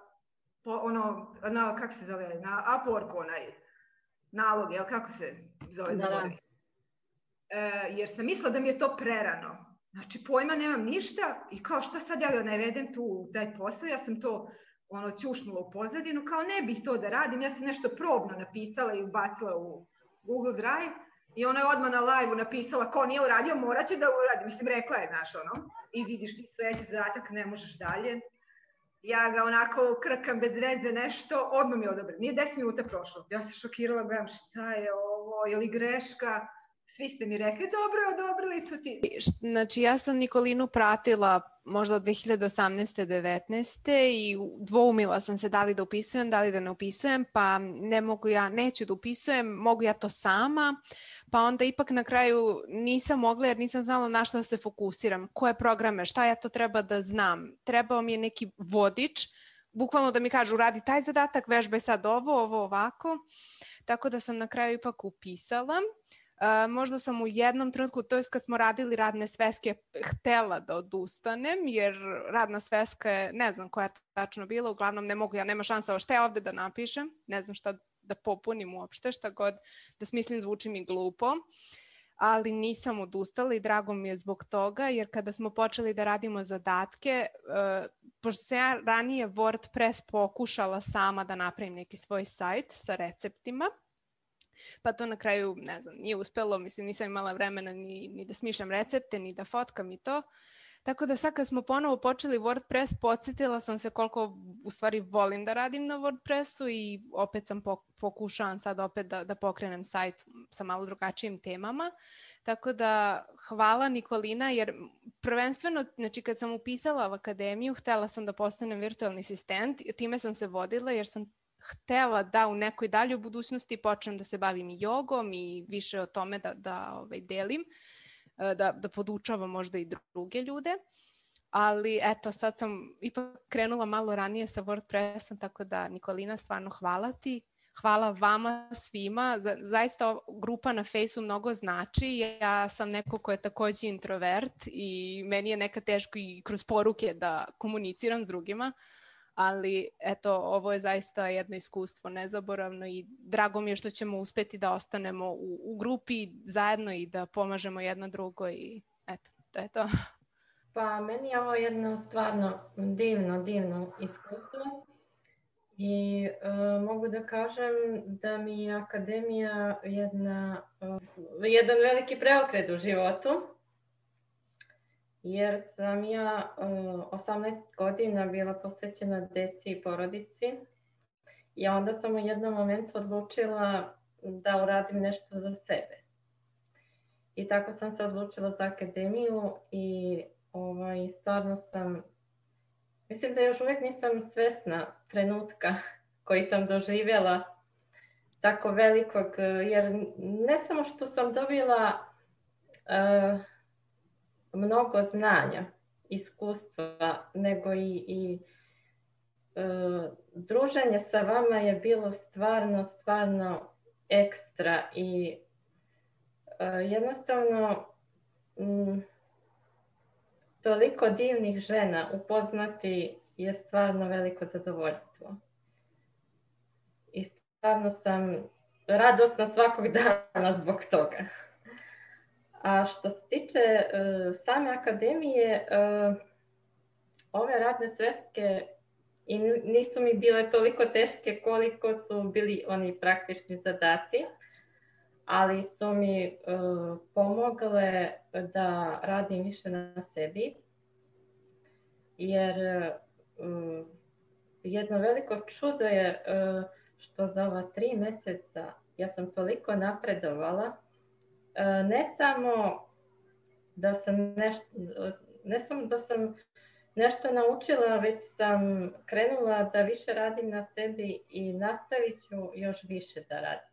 po, ono, na, kako se zove, na Upworku onaj nalog, jel kako se zove? Da, da. E, jer sam mislila da mi je to prerano. Znači, pojma nemam ništa i kao šta sad ja da navedem tu u taj posao, ja sam to ono ćušnula u pozadinu, kao ne bih to da radim, ja sam nešto probno napisala i ubacila u Google Drive. I ona je odmah na live-u napisala, ko nije uradio, morat će da uradi. Mislim, rekla je, znaš, ono, i vidiš ti sledeći zadatak, ne možeš dalje. Ja ga onako krkam bez veze nešto, odmah mi je odobren. Nije deset minuta prošlo. Ja se šokirala, gledam šta je ovo, je li greška? Svi ste mi rekli, dobro, odobrili su ti. Znači, ja sam Nikolinu pratila možda od dve hiljade osamnaeste devetnaeste i dvoumila sam se da li da upisujem, da li da ne upisujem, pa ne mogu ja, neću da upisujem, mogu ja to sama, pa onda ipak na kraju nisam mogla jer nisam znala na šta da se fokusiram, koje programe, šta ja to treba da znam. Trebao mi je neki vodič, bukvalno da mi kažu radi taj zadatak, vežbaj sad ovo, ovo, ovako, tako da sam na kraju ipak upisala. Uh, možda sam u jednom trenutku, to je kad smo radili radne sveske, htela da odustanem, jer radna sveska je, ne znam koja je tačno bila, uglavnom ne mogu, ja nema šansa, šta ja ovde da napišem, ne znam šta da popunim uopšte, šta god da smislim zvuči mi glupo, ali nisam odustala i drago mi je zbog toga, jer kada smo počeli da radimo zadatke, uh, pošto sam ja ranije WordPress pokušala sama da napravim neki svoj sajt sa receptima, pa to na kraju, ne znam, nije uspelo, mislim, nisam imala vremena ni, ni da smišljam recepte, ni da fotkam i to. Tako da sad kad smo ponovo počeli WordPress, podsjetila sam se koliko u stvari volim da radim na WordPressu i opet sam pokušavam sad opet da, da pokrenem sajt sa malo drugačijim temama. Tako da hvala Nikolina, jer prvenstveno, znači kad sam upisala u akademiju, htjela sam da postanem virtualni asistent, time sam se vodila jer sam htjela da u nekoj daljoj budućnosti počnem da se bavim i jogom i više o tome da, da ovaj, delim, da, da podučavam možda i druge ljude. Ali eto, sad sam ipak krenula malo ranije sa WordPressom, tako da Nikolina, stvarno hvala ti. Hvala vama svima. Zaista grupa na Fejsu mnogo znači. Ja sam neko ko je također introvert i meni je nekad teško i kroz poruke da komuniciram s drugima. Ali eto, ovo je zaista jedno iskustvo nezaboravno i drago mi je što ćemo uspjeti da ostanemo u, u grupi zajedno i da pomažemo jedno drugo i eto, to je to. Pa meni je ovo jedno stvarno divno, divno iskustvo i uh, mogu da kažem da mi je akademija jedna, uh, jedan veliki preokret u životu. Jer sam ja uh, osamnaest godina bila posvećena deci i porodici i onda sam u jednom momentu odlučila da uradim nešto za sebe. I tako sam se odlučila za akademiju i ovaj, stvarno sam, mislim da još uvijek nisam svesna trenutka koji sam doživjela tako velikog, jer ne samo što sam dobila uh, mnogo znanja, iskustva, nego i, i uh, druženje sa vama je bilo stvarno, stvarno ekstra i uh, jednostavno um, toliko divnih žena upoznati je stvarno veliko zadovoljstvo. I stvarno sam radosna svakog dana zbog toga. A što se tiče uh, same akademije, uh, ove radne sveske i nisu mi bile toliko teške koliko su bili oni praktični zadaci, ali su mi uh, pomogle da radim više na sebi, jer uh, jedno veliko čudo je uh, što za ova tri mjeseca ja sam toliko napredovala. Ne samo da sam nešto, ne samo da sam nešto naučila, već sam krenula da više radim na sebi i nastavit ću još više da radim.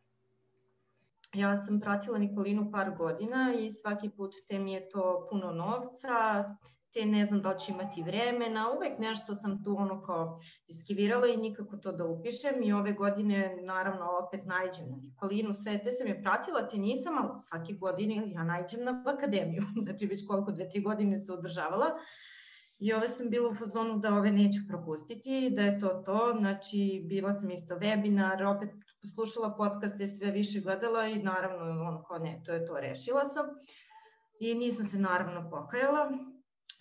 Ja sam pratila Nikolinu par godina i svaki put te mi je to puno novca, te ne znam da ću imati vremena, uvek nešto sam tu ono kao iskivirala i nikako to da upišem i ove godine naravno opet naiđem na Nikolinu, sve te sam je pratila, te nisam, ali svake godine ja naiđem na akademiju, znači već koliko dve, tri godine se održavala i ove sam bila u fazonu da ove neću propustiti, da je to to, znači bila sam isto webinar, opet slušala podcaste, sve više gledala i naravno ono kao ne, to je to, rešila sam i nisam se naravno pokajala.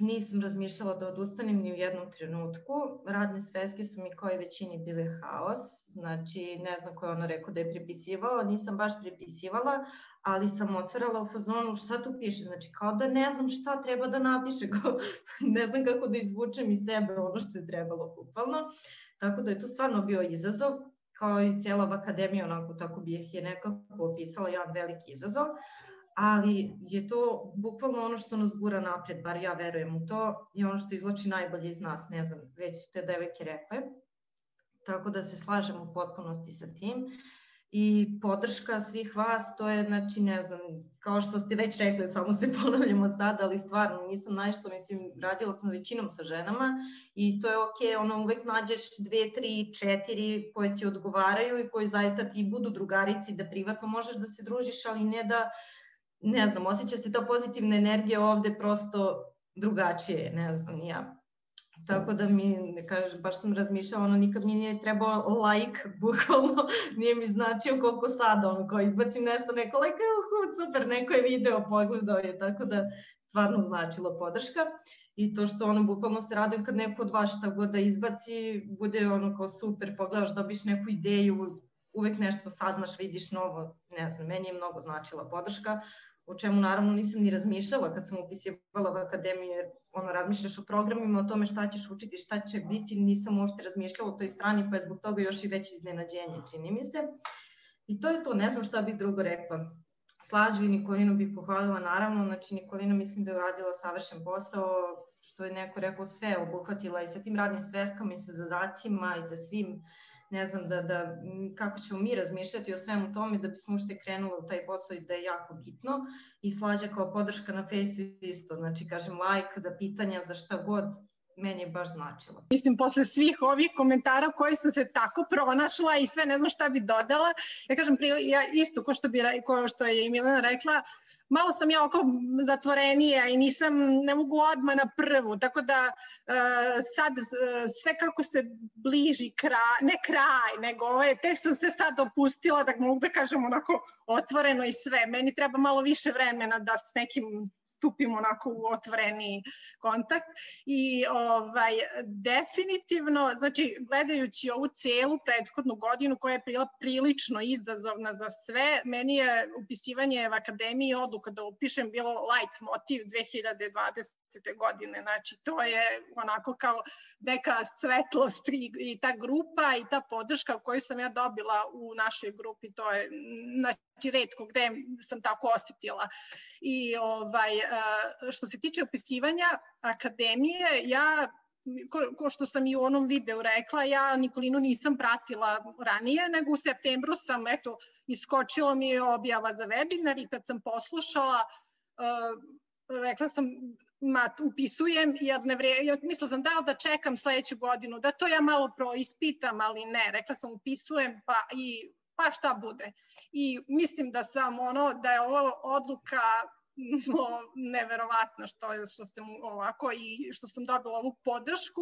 Nisam razmišljala da odustanem ni u jednom trenutku. Radne sveske su mi kao i većini bile haos. Znači, ne znam ko je ono rekao da je prepisivao. Nisam baš prepisivala, ali sam otvarala u fazonu šta tu piše. Znači, kao da ne znam šta treba da napiše. Ne znam kako da izvučem iz sebe ono što je trebalo bukvalno. Tako da je to stvarno bio izazov. Kao i cijela akademija, onako tako bih je nekako opisala jedan veliki izazov. Ali je to bukvalno ono što nas gura napred, bar ja verujem u to, i ono što izvlači najbolje iz nas, ne znam, već su te devojke rekle. Tako da se slažem u potpunosti sa tim. I podrška svih vas, to je, znači, ne znam, kao što ste već rekli, samo se ponavljamo sad, ali stvarno nisam našla, mislim, radila sam većinom sa ženama i to je okej, ono, uvek nađeš dve, tri, četiri koje ti odgovaraju i koji zaista ti budu drugarici, da privatno možeš da se družiš, ali ne da, ne znam, osjeća se ta pozitivna energija ovde prosto drugačije, ne znam, ja. Tako da mi, ne kažem, baš sam razmišljala, ono, nikad mi nije trebao like, bukvalno, nije mi značio koliko sada, ono, kao izbacim nešto, neko like, oh, super, neko je video pogledao je, tako da stvarno značila podrška. I to što, ono, bukvalno se radujem kad neko od vas šta god da izbaci, bude, ono, kao super, pogledaš, dobiš neku ideju, uvek nešto saznaš, vidiš novo, ne znam, meni je mnogo značila podrška. o čemu naravno nisam ni razmišljala kad sam upisivala u akademiju, jer ono, razmišljaš o programima, o tome šta ćeš učiti, šta će biti, nisam uopšte razmišljala o toj strani, pa je zbog toga još i veće iznenađenje, čini mi se. I to je to, ne znam šta bih drugo rekla. Slađu i Nikolinu bih pohvalila, naravno, znači Nikolina mislim da je uradila savršen posao, što je neko rekao, sve obuhvatila i sa tim radnim sveskama i sa zadacima i sa svim, ne znam, da, da, kako ćemo mi razmišljati o svemu tome da bismo ušte krenuli u taj posao i da je jako bitno. I Slađa kao podrška na Facebooku isto, znači kažem like za pitanja, za šta god, meni je baš značilo. Mislim, posle svih ovih komentara koji sam se tako pronašla i sve ne znam šta bi dodala, ja kažem, ja isto ko što, bi, ko što je i Milena rekla, malo sam ja oko zatvorenija i nisam, ne mogu odmah na prvu, tako da uh, sad uh, sve kako se bliži kraj, ne kraj, nego ovaj, tek sam se sad opustila, da mogu da kažem onako otvoreno i sve. Meni treba malo više vremena da s nekim stupimo onako u otvoreni kontakt i ovaj, definitivno, znači gledajući ovu celu prethodnu godinu koja je bila prilično izazovna za sve, meni je upisivanje u akademiji odluka da upišem bilo light motiv dve hiljade dvadesete godine, znači to je onako kao neka svetlost i, i ta grupa i ta podrška koju sam ja dobila u našoj grupi, to je znači retko gde sam tako osjetila. I ovaj, što se tiče upisivanja akademije, ja, ko što sam i u onom videu rekla, ja Nikolinu nisam pratila ranije, nego u septembru sam, eto, iskočila mi je objava za webinar i kad sam poslušala, rekla sam, ma, upisujem, jer ne vre, mislila sam da da čekam sledeću godinu, da to ja malo proispitam, ali ne, rekla sam upisujem, pa i pa šta bude. I mislim da sam ono, da je ovo odluka no, neverovatna što, je, što sam ovako i što sam dobila ovu podršku.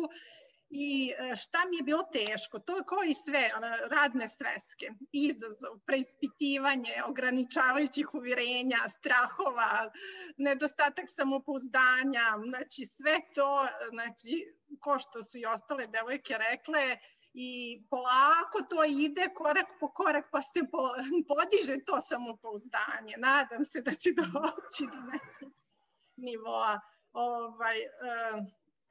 I šta mi je bilo teško, to je kao i sve, radne sveske, izazov, preispitivanje, ograničavajućih uvjerenja, strahova, nedostatak samopouzdanja, znači sve to, znači, ko što su i ostale devojke rekle, i polako to ide korak po korak pa se podiže to samopouzdanje. Nadam se da će doći do nekog nivoa. Ovaj,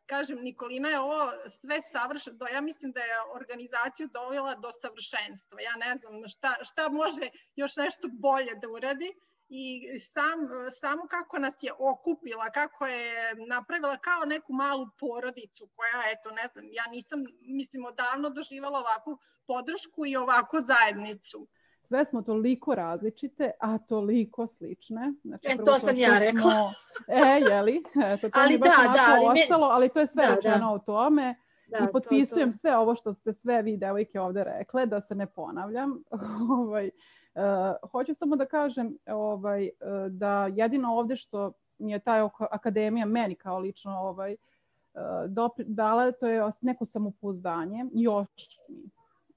kažem, Nikolina je ovo sve savršeno, ja mislim da je organizaciju dovela do savršenstva. Ja ne znam šta, šta može još nešto bolje da uradi. I sam, samo kako nas je okupila, kako je napravila kao neku malu porodicu koja, eto, ne znam, ja nisam, mislim, odavno doživala ovakvu podršku i ovakvu zajednicu. Sve smo toliko različite, a toliko slične. Znači, e, to sam ja rekla. Smo, e, jeli? Eto, to ali mi baš da, da, ali ostalo, ali to je sve da, rečeno da. o tome. Da, I potpisujem to, to. sve ovo što ste sve vi devojke ovde rekle, da se ne ponavljam. ovaj, Uh, hoću samo da kažem ovaj, uh, da jedino ovde što mi je ta akademija meni kao lično ovaj, uh, dopri, dala, to je neko samopouzdanje, još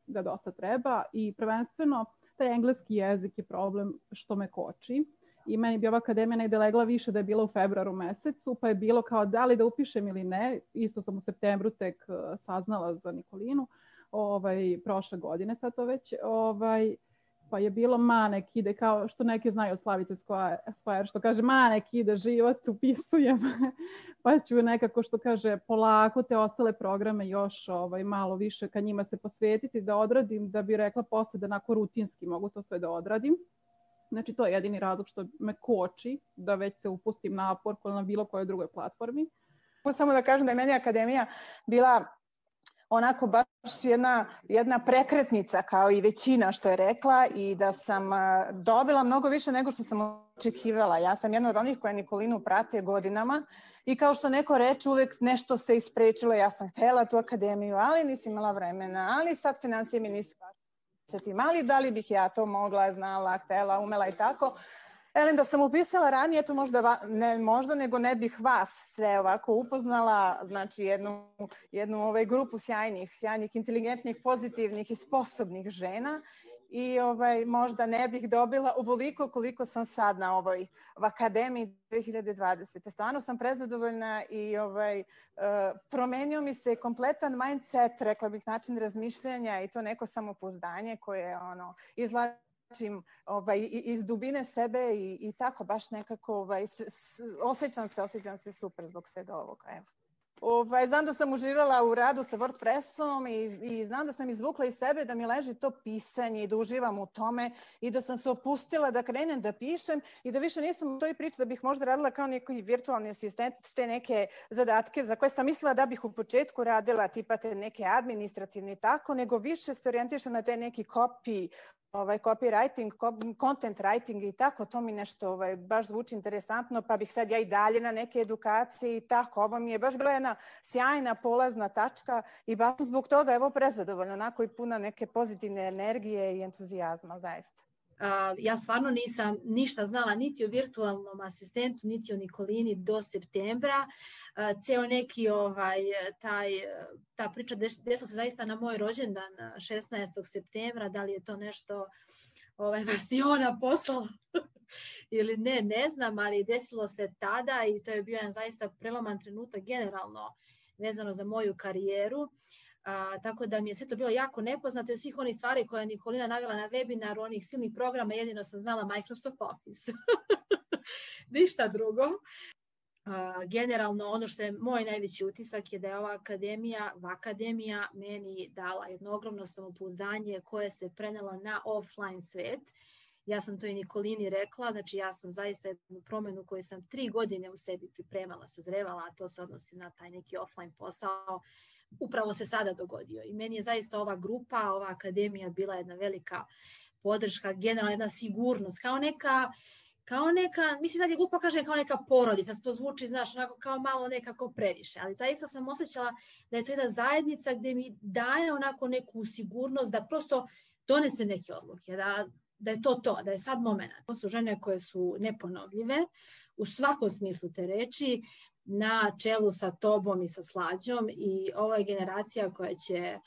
mi ga dosta treba i prvenstveno taj engleski jezik je problem što me koči i meni bi ova akademija negde legla više da je bila u februaru mesecu, pa je bilo kao da li da upišem ili ne, isto sam u septembru tek uh, saznala za Nikolinu, ovaj, prošle godine sad to već, ovaj, pa je bilo ma nek ide, kao što neke znaju od Slavice Squire, što kaže ma nek ide život, upisujem, pa ću nekako što kaže polako te ostale programe još ovaj, malo više ka njima se posvetiti da odradim, da bi rekla posle da onako rutinski mogu to sve da odradim. Znači to je jedini razlog što me koči da već se upustim napor na bilo kojoj drugoj platformi. Samo da kažem da je meni akademija bila onako baš jedna, jedna prekretnica kao i većina što je rekla i da sam dobila mnogo više nego što sam očekivala. Ja sam jedna od onih koja Nikolinu prate godinama i kao što neko reče uvek nešto se isprečilo. Ja sam htjela tu akademiju, ali nisam imala vremena, ali sad financije mi nisu tim, ali da li bih ja to mogla, znala, htjela, umela i tako. Elem, da sam upisala ranije, to možda, ne možda, nego ne bih vas sve ovako upoznala, znači jednu, jednu ovaj, grupu sjajnih, sjajnih, inteligentnih, pozitivnih i sposobnih žena i ovaj, možda ne bih dobila ovoliko koliko sam sad na ovoj v akademiji dve hiljade dvadesete. Stvarno sam prezadovoljna i ovaj, uh, promenio mi se kompletan mindset, rekla bih, način razmišljanja i to neko samopouzdanje koje ono, izlazi ovaj, iz dubine sebe i, i tako baš nekako ovaj, s, s, osjećam se, osjećam se super zbog svega ovoga. Evo. Ovaj, znam da sam uživala u radu sa WordPressom i, i znam da sam izvukla iz sebe da mi leži to pisanje i da uživam u tome i da sam se opustila da krenem da pišem i da više nisam u toj priči da bih možda radila kao neki virtualni asistent te neke zadatke za koje sam mislila da bih u početku radila, tipa te neke administrativne i tako, nego više se orijentišem na te neki copy, ovaj, copywriting, content writing i tako, to mi nešto ovaj, baš zvuči interesantno, pa bih sad ja i dalje na neke edukacije i tako. Ovo mi je baš bila jedna sjajna polazna tačka i baš zbog toga evo prezadovoljna, onako i puna neke pozitivne energije i entuzijazma, zaista. Uh, ja stvarno nisam ništa znala niti o virtualnom asistentu, niti o Nikolini do septembra. Uh, ceo neki ovaj, taj, ta priča desila se zaista na moj rođendan šesnaestog septembra, da li je to nešto ovaj, Vasiona poslala ili ne, ne znam, ali desilo se tada i to je bio jedan zaista preloman trenutak generalno vezano za moju karijeru. A, tako da mi je sve to bilo jako nepoznato i svih onih stvari koje je Nikolina navela na webinaru, onih silnih programa, jedino sam znala Microsoft Office. Ništa drugo. A, generalno ono što je moj najveći utisak je da je ova akademija, akademija meni dala jedno ogromno samopouzdanje koje se prenelo na offline svet. Ja sam to i Nikolini rekla, znači ja sam zaista jednu promenu koju sam tri godine u sebi pripremala, sazrevala, a to se odnosi na taj neki offline posao, upravo se sada dogodio. I meni je zaista ova grupa, ova akademija bila jedna velika podrška, generalno jedna sigurnost, kao neka, kao neka, mislim da je glupo kažem kao neka porodica, to zvuči, znaš, onako kao malo nekako previše, ali zaista sam osjećala da je to jedna zajednica gde mi daje onako neku sigurnost da prosto donesem neke odluke, da da je to to, da je sad moment. To su žene koje su neponovljive u svakom smislu te reči, na čelu sa tobom i sa Slađom i ovo je generacija koja će,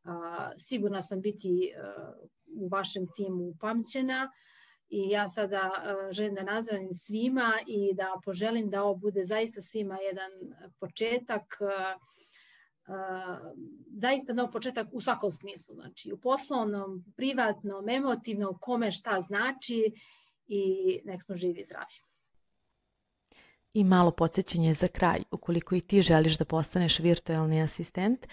a, sigurna sam, biti a, u vašem timu upamćena i ja sada a, želim da nazdravim svima i da poželim da ovo bude zaista svima jedan početak, a, a, zaista nov početak u svakom smislu, znači u poslovnom, privatnom, emotivnom, kome šta znači i nek smo živi i zdravi. I malo podsjećanje za kraj, ukoliko i ti želiš da postaneš virtualni asistent,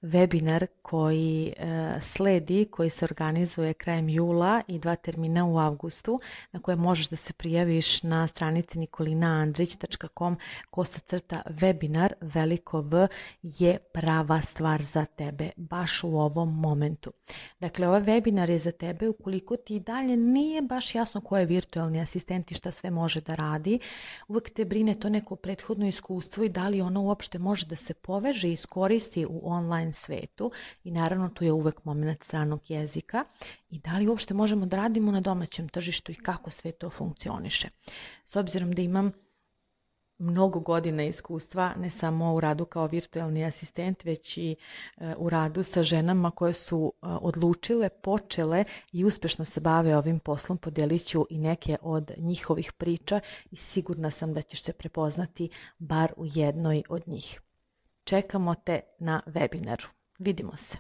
webinar koji e, sledi, koji se organizuje krajem jula i dva termina u avgustu, na koje možeš da se prijaviš na stranici nikolina andrić tačka com kosa crta webinar, veliko V, je prava stvar za tebe, baš u ovom momentu. Dakle, ovaj webinar je za tebe ukoliko ti dalje nije baš jasno ko je virtualni asistent i šta sve može da radi. Uvek te brine to neko prethodno iskustvo i da li ono uopšte može da se poveže i iskoristi u online svetu i naravno tu je uvek moment stranog jezika i da li uopšte možemo da radimo na domaćem tržištu i kako sve to funkcioniše. S obzirom da imam mnogo godina iskustva, ne samo u radu kao virtualni asistent, već i u radu sa ženama koje su odlučile, počele i uspešno se bave ovim poslom, podelit ću i neke od njihovih priča i sigurna sam da ćeš se prepoznati bar u jednoj od njih. Čekamo te na webinaru. Vidimo se.